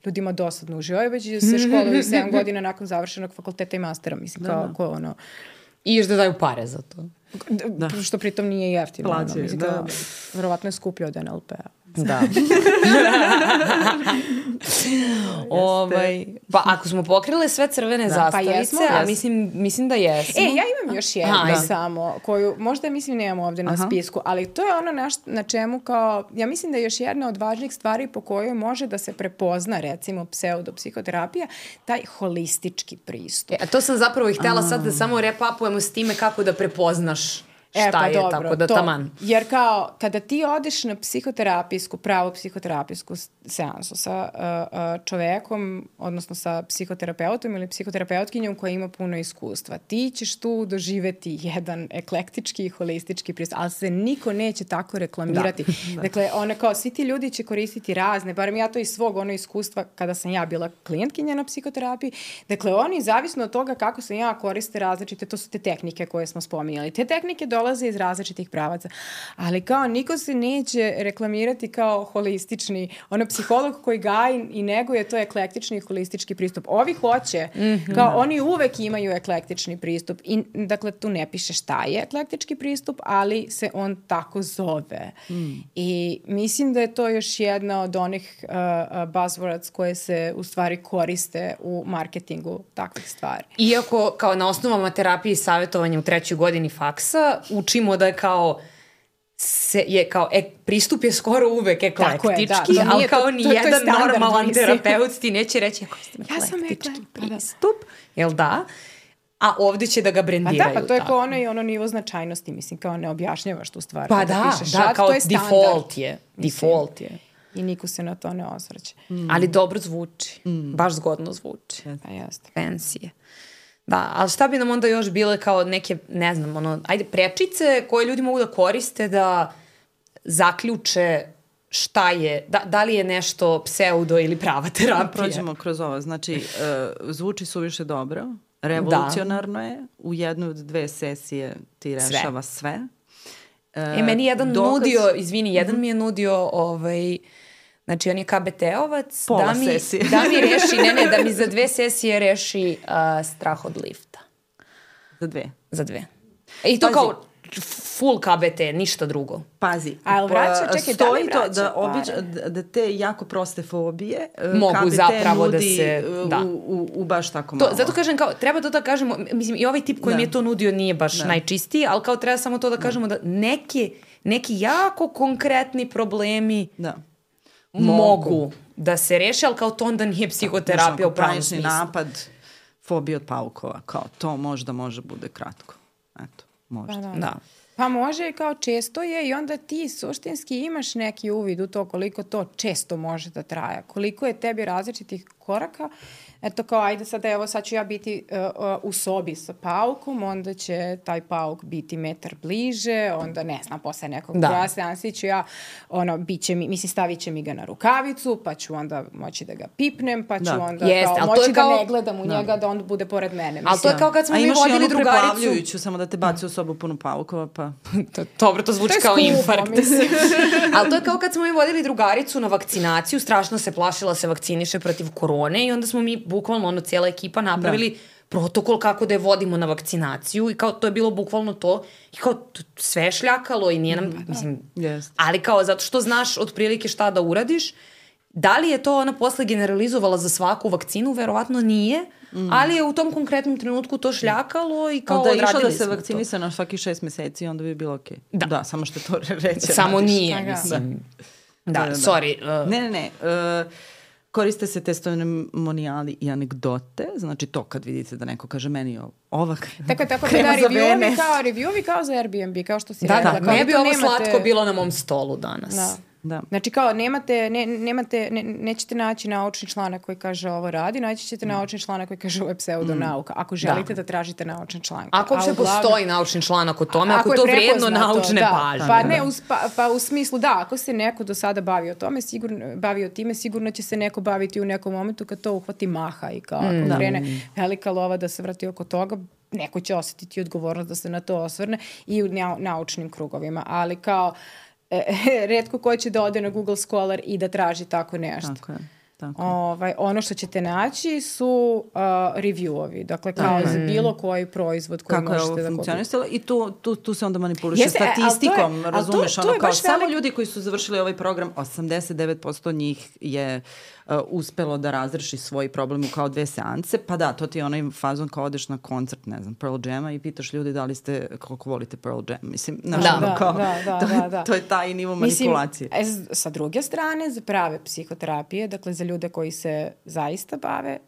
ljudima dosadno uživaju, već se školuju 7 godina nakon završenog fakulteta i mastera, mislim, kao ko I još da daju pare za to. Što pritom nije jeftino. Mislim, verovatno je skuplje od NLP-a. Da. Pa ako smo pokrile sve crvene zastavice, a mislim da jesmo. Ja imam još jednu samo, koju možda nemamo ovde na spisku, ali to je ono na čemu kao, ja mislim da je još jedna od važnih stvari po kojoj može da se prepozna, recimo, pseudopsihoterapija, taj holistički pristup. A to sam zapravo i htjela sad da samo repapujemo s time kako da prepoznaš šta je, dobro, tako da taman. Jer kao, kada ti odeš na pravu psihoterapijsku seansu sa čovekom, odnosno sa psihoterapeutom ili psihoterapeutkinjom koja ima puno iskustva, ti ćeš tu doživeti jedan eklektički i holistički pristup, ali se niko neće tako reklamirati. Dakle, kao, svi ti ljudi će koristiti razne, barem ja to iz svog iskustva kada sam ja bila klijentkinja na psihoterapiji, dakle, oni zavisno od toga kako sam ja koriste različite, to su te tehnike koje smo spominjali. Te tehnike dolaze iz različitih pravaca. Ali kao niko se neće reklamirati kao holistični, psiholog koji gaji i neguje, to je eklektični i holistički pristup. Ovi hoće, kao oni uvek imaju eklektični pristup. I, dakle, tu ne piše šta je eklektički pristup, ali se on tako zove. I mislim da je to još jedna od onih buzzwords koje se u stvari koriste u marketingu takvih stvari. Iako, kao na osnovama terapije i savjetovanja u 3. godini faksa, učimo da je kao pristup je skoro uvek eklektički, ali kao ni jedan normalan terapeut ti neće reći ja sam eklektički pristup, jel da? A ovdje će da ga brendiraju. Pa to je kao ono nivo značajnosti, mislim, kao ne objašnjavaš tu stvar. Pa da, kao to je default je. I niko se na to ne osvrće. Ali dobro zvuči, baš zgodno zvuči. Pa jeste. Fancy je. Da, ali šta bi nam onda još bile kao neke, ne znam, prečice koje ljudi mogu da koriste da zaključe šta je, da li je nešto pseudo ili prava terapija? Prođemo kroz ovo, znači zvuči suviše dobro, revolucionarno je, u jednoj od 2 sesije ti rešava sve. Meni jedan mi je nudio znači on je KBT-ovac da mi reši, da mi za 2 sesije reši strah od lifta. Za 2. I to kao full KBT, ništa drugo. Pazi, stoji to da te jako proste fobije mogu KBT zapravo nudi da se u baš tako malo. Zato kažem, kao, treba to da kažemo, mislim, i ovaj tip koji mi je to nudio nije baš najčistiji, ali kao treba samo to da kažemo da neki jako konkretni problemi mogu da se reše, ali kao to onda nije psihoterapija u pravom smislu. Napad, fobija od paukova, kao to možda može bude kratko. Eto, možda. Da. Pa može, kao često je, i onda ti suštinski imaš neki uvid u to koliko to često može da traja, koliko je tebi različitih koraka. Eto kao, ajde sad ću ja biti u sobi sa paukom, onda će taj pauk biti metar bliže, onda ne znam, posle nekog broja seansi ću ja, stavit će mi ga na rukavicu, pa ću onda moći da ga pipnem, pa ću onda moći da ne gledam u njega, da on bude pored mene. Ali to je kao kad smo mi vodili drugaricu. A imaš i onu preplavljujuću, samo da te baci u sobu punu paukova, pa... Dobro, to zvuči kao infarkt. Ali to je kao kad smo mi vodili drugaricu na vakcinaciju, strašno se plašila se vakciniše protiv korone i onda smo mi bukvalno cijela ekipa napravili protokol kako da je vodimo na vakcinaciju i kao to je bilo bukvalno to i kao sve je šljakalo i nije nam, mislim, ali kao zato što znaš otprilike šta da uradiš. Da li je to ona posle generalizovala za svaku vakcinu? Verovatno nije, ali je u tom konkretnom trenutku to šljakalo i kao odradili smo to. Da je išla da se vakcinisa na svakih 6 meseci, onda bi bilo okej. Da, samo što to reće. Samo nije, mislim. Da, sorry. Ne. Koriste se testimoniali i anegdote, znači to kad vidite da neko kaže meni ova tako da review-vi kao za Airbnb, kao što si rekla. Da, ne bi ovo slatko bilo na mom stolu danas. Da. Znači kao nećete naći naučni članak koji kaže ovo radi, naći ćete naučni članak koji kaže ovo je pseudonauka. Ako želite da tražite naučni članak. Ako uopšte postoji naučni članak o tome, ako to vrijedno naučne pažnje. Pa u smislu ako se neko do sada bavio time, sigurno će se neko baviti u nekom momentu kad to uhvati maha i kao ako krene velika lova da se vrati oko toga, neko će osjetiti odgovornost da se na to osvrne i u naučnim krugovima. Ali kao retko ko će da ode na Google Scholar i da traži tako nešto. Ono što ćete naći su review-ovi. Dakle, kao za bilo koji proizvod koji možete da kupite. Kako je ovo funkcionisalo i tu se onda manipuliše statistikom, razumeš, kao samo ljudi koji su završili ovaj program, 89% njih je uspelo da razreši svoj problem u kao 2 seanse, pa da, to ti je onaj fazon kao odeš na koncert, ne znam, Pearl Jama i pitaš ljudi da li ste, koliko volite Pearl Jam, mislim, to je taj nivo manipulacije. Sa druge strane, za prave psihoterapije, dakle za ljude koji se zaista bave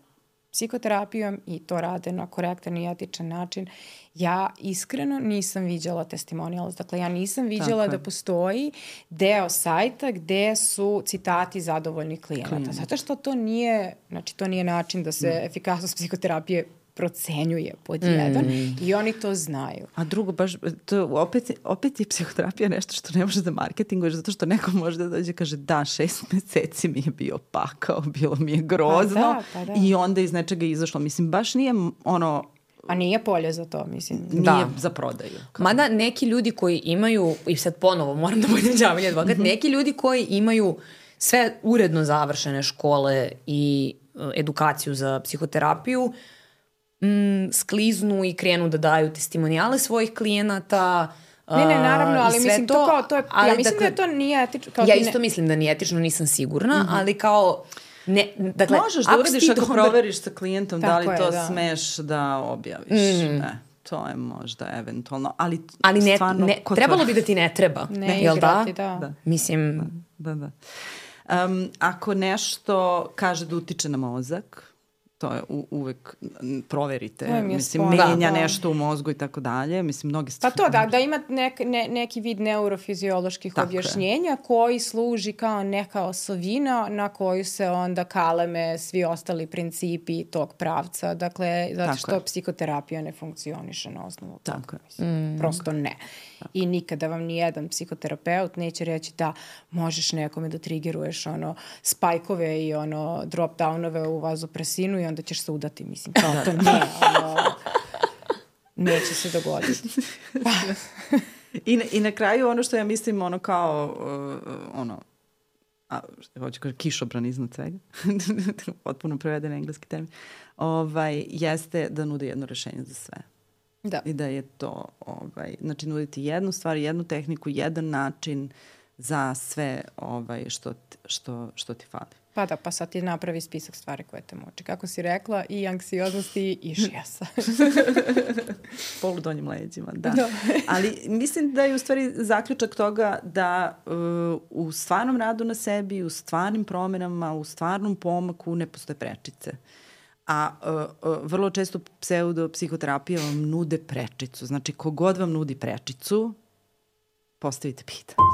psihoterapijom i to rade na korektan i etičan način, ja iskreno nisam viđala testimonials. Dakle, ja nisam viđala da postoji deo sajta gde su citati zadovoljnih klijenata. Zato što to nije, znači to nije način da se efikasnost psihoterapije procenjuje pod jedan i oni to znaju. A drugo, baš, to opet je psihoterapija nešto što ne može da marketinguješ, zato što neko može da dođe i kaže da, 6 meseci mi je bio pakao, bilo mi je grozno i onda iz nečega izašlo. Mislim, baš nije ono... A nije polje za to, mislim. Nije za prodaju. Mada neki ljudi koji imaju, i sad ponovo moram da budem đavolji advokat, neki ljudi koji imaju sve uredno završene škole i edukaciju za psihoterapiju, skliznu i krenu da daju testimonijale svojih klijenata. Ne, naravno, ali mislim to je, ja mislim da to nije etično. Ja isto mislim da nije etično, nisam sigurna, ali kao dakle, možeš da uradiš ako proveriš sa klijentom da li to smeš da objaviš. To je možda eventualno, ali ne, stvarno... trebalo bi da ti ne treba. Ne igrati, da. Mislim... Da. Ako nešto kaže da utiče na mozak, to je uvek proverite, mislim, menja nešto u mozgu i tako dalje, mislim, mnogi stvari. Pa to da ima neki vid neurofizioloških objašnjenja koji služi kao neka osovina na koju se onda kaleme svi ostali principi tog pravca, dakle, zato što psihoterapija ne funkcioniše na osnovu toga. Prosto ne. I nikada vam nijedan psihoterapeut neće reći da možeš nekome da trigeruješ spajkove i drop-downove u vazopresinu i onda ćeš se udati, mislim, kao to ne, neće se dogoditi. I na kraju ono što ja mislim, hoću kažem kišobran iznad svega, potpuno preveden engleski termin, jeste da nude jedno rešenje za sve. Da. I da je to, znači nuditi jednu stvar, jednu tehniku, jedan način za sve što ti fali. Pa da, pa sad ti napravi spisak stvari koje te muče. Kako si rekla, i anksioznosti i šijasa. Poludonjim leđima, da. Ali mislim da je u stvari zaključak toga da u stvarnom radu na sebi, u stvarnim promenama, u stvarnom pomaku ne postoje prečice. A vrlo često pseudo-psihoterapija vam nude prečicu. Znači, kogod vam nudi prečicu, postavite pitanje.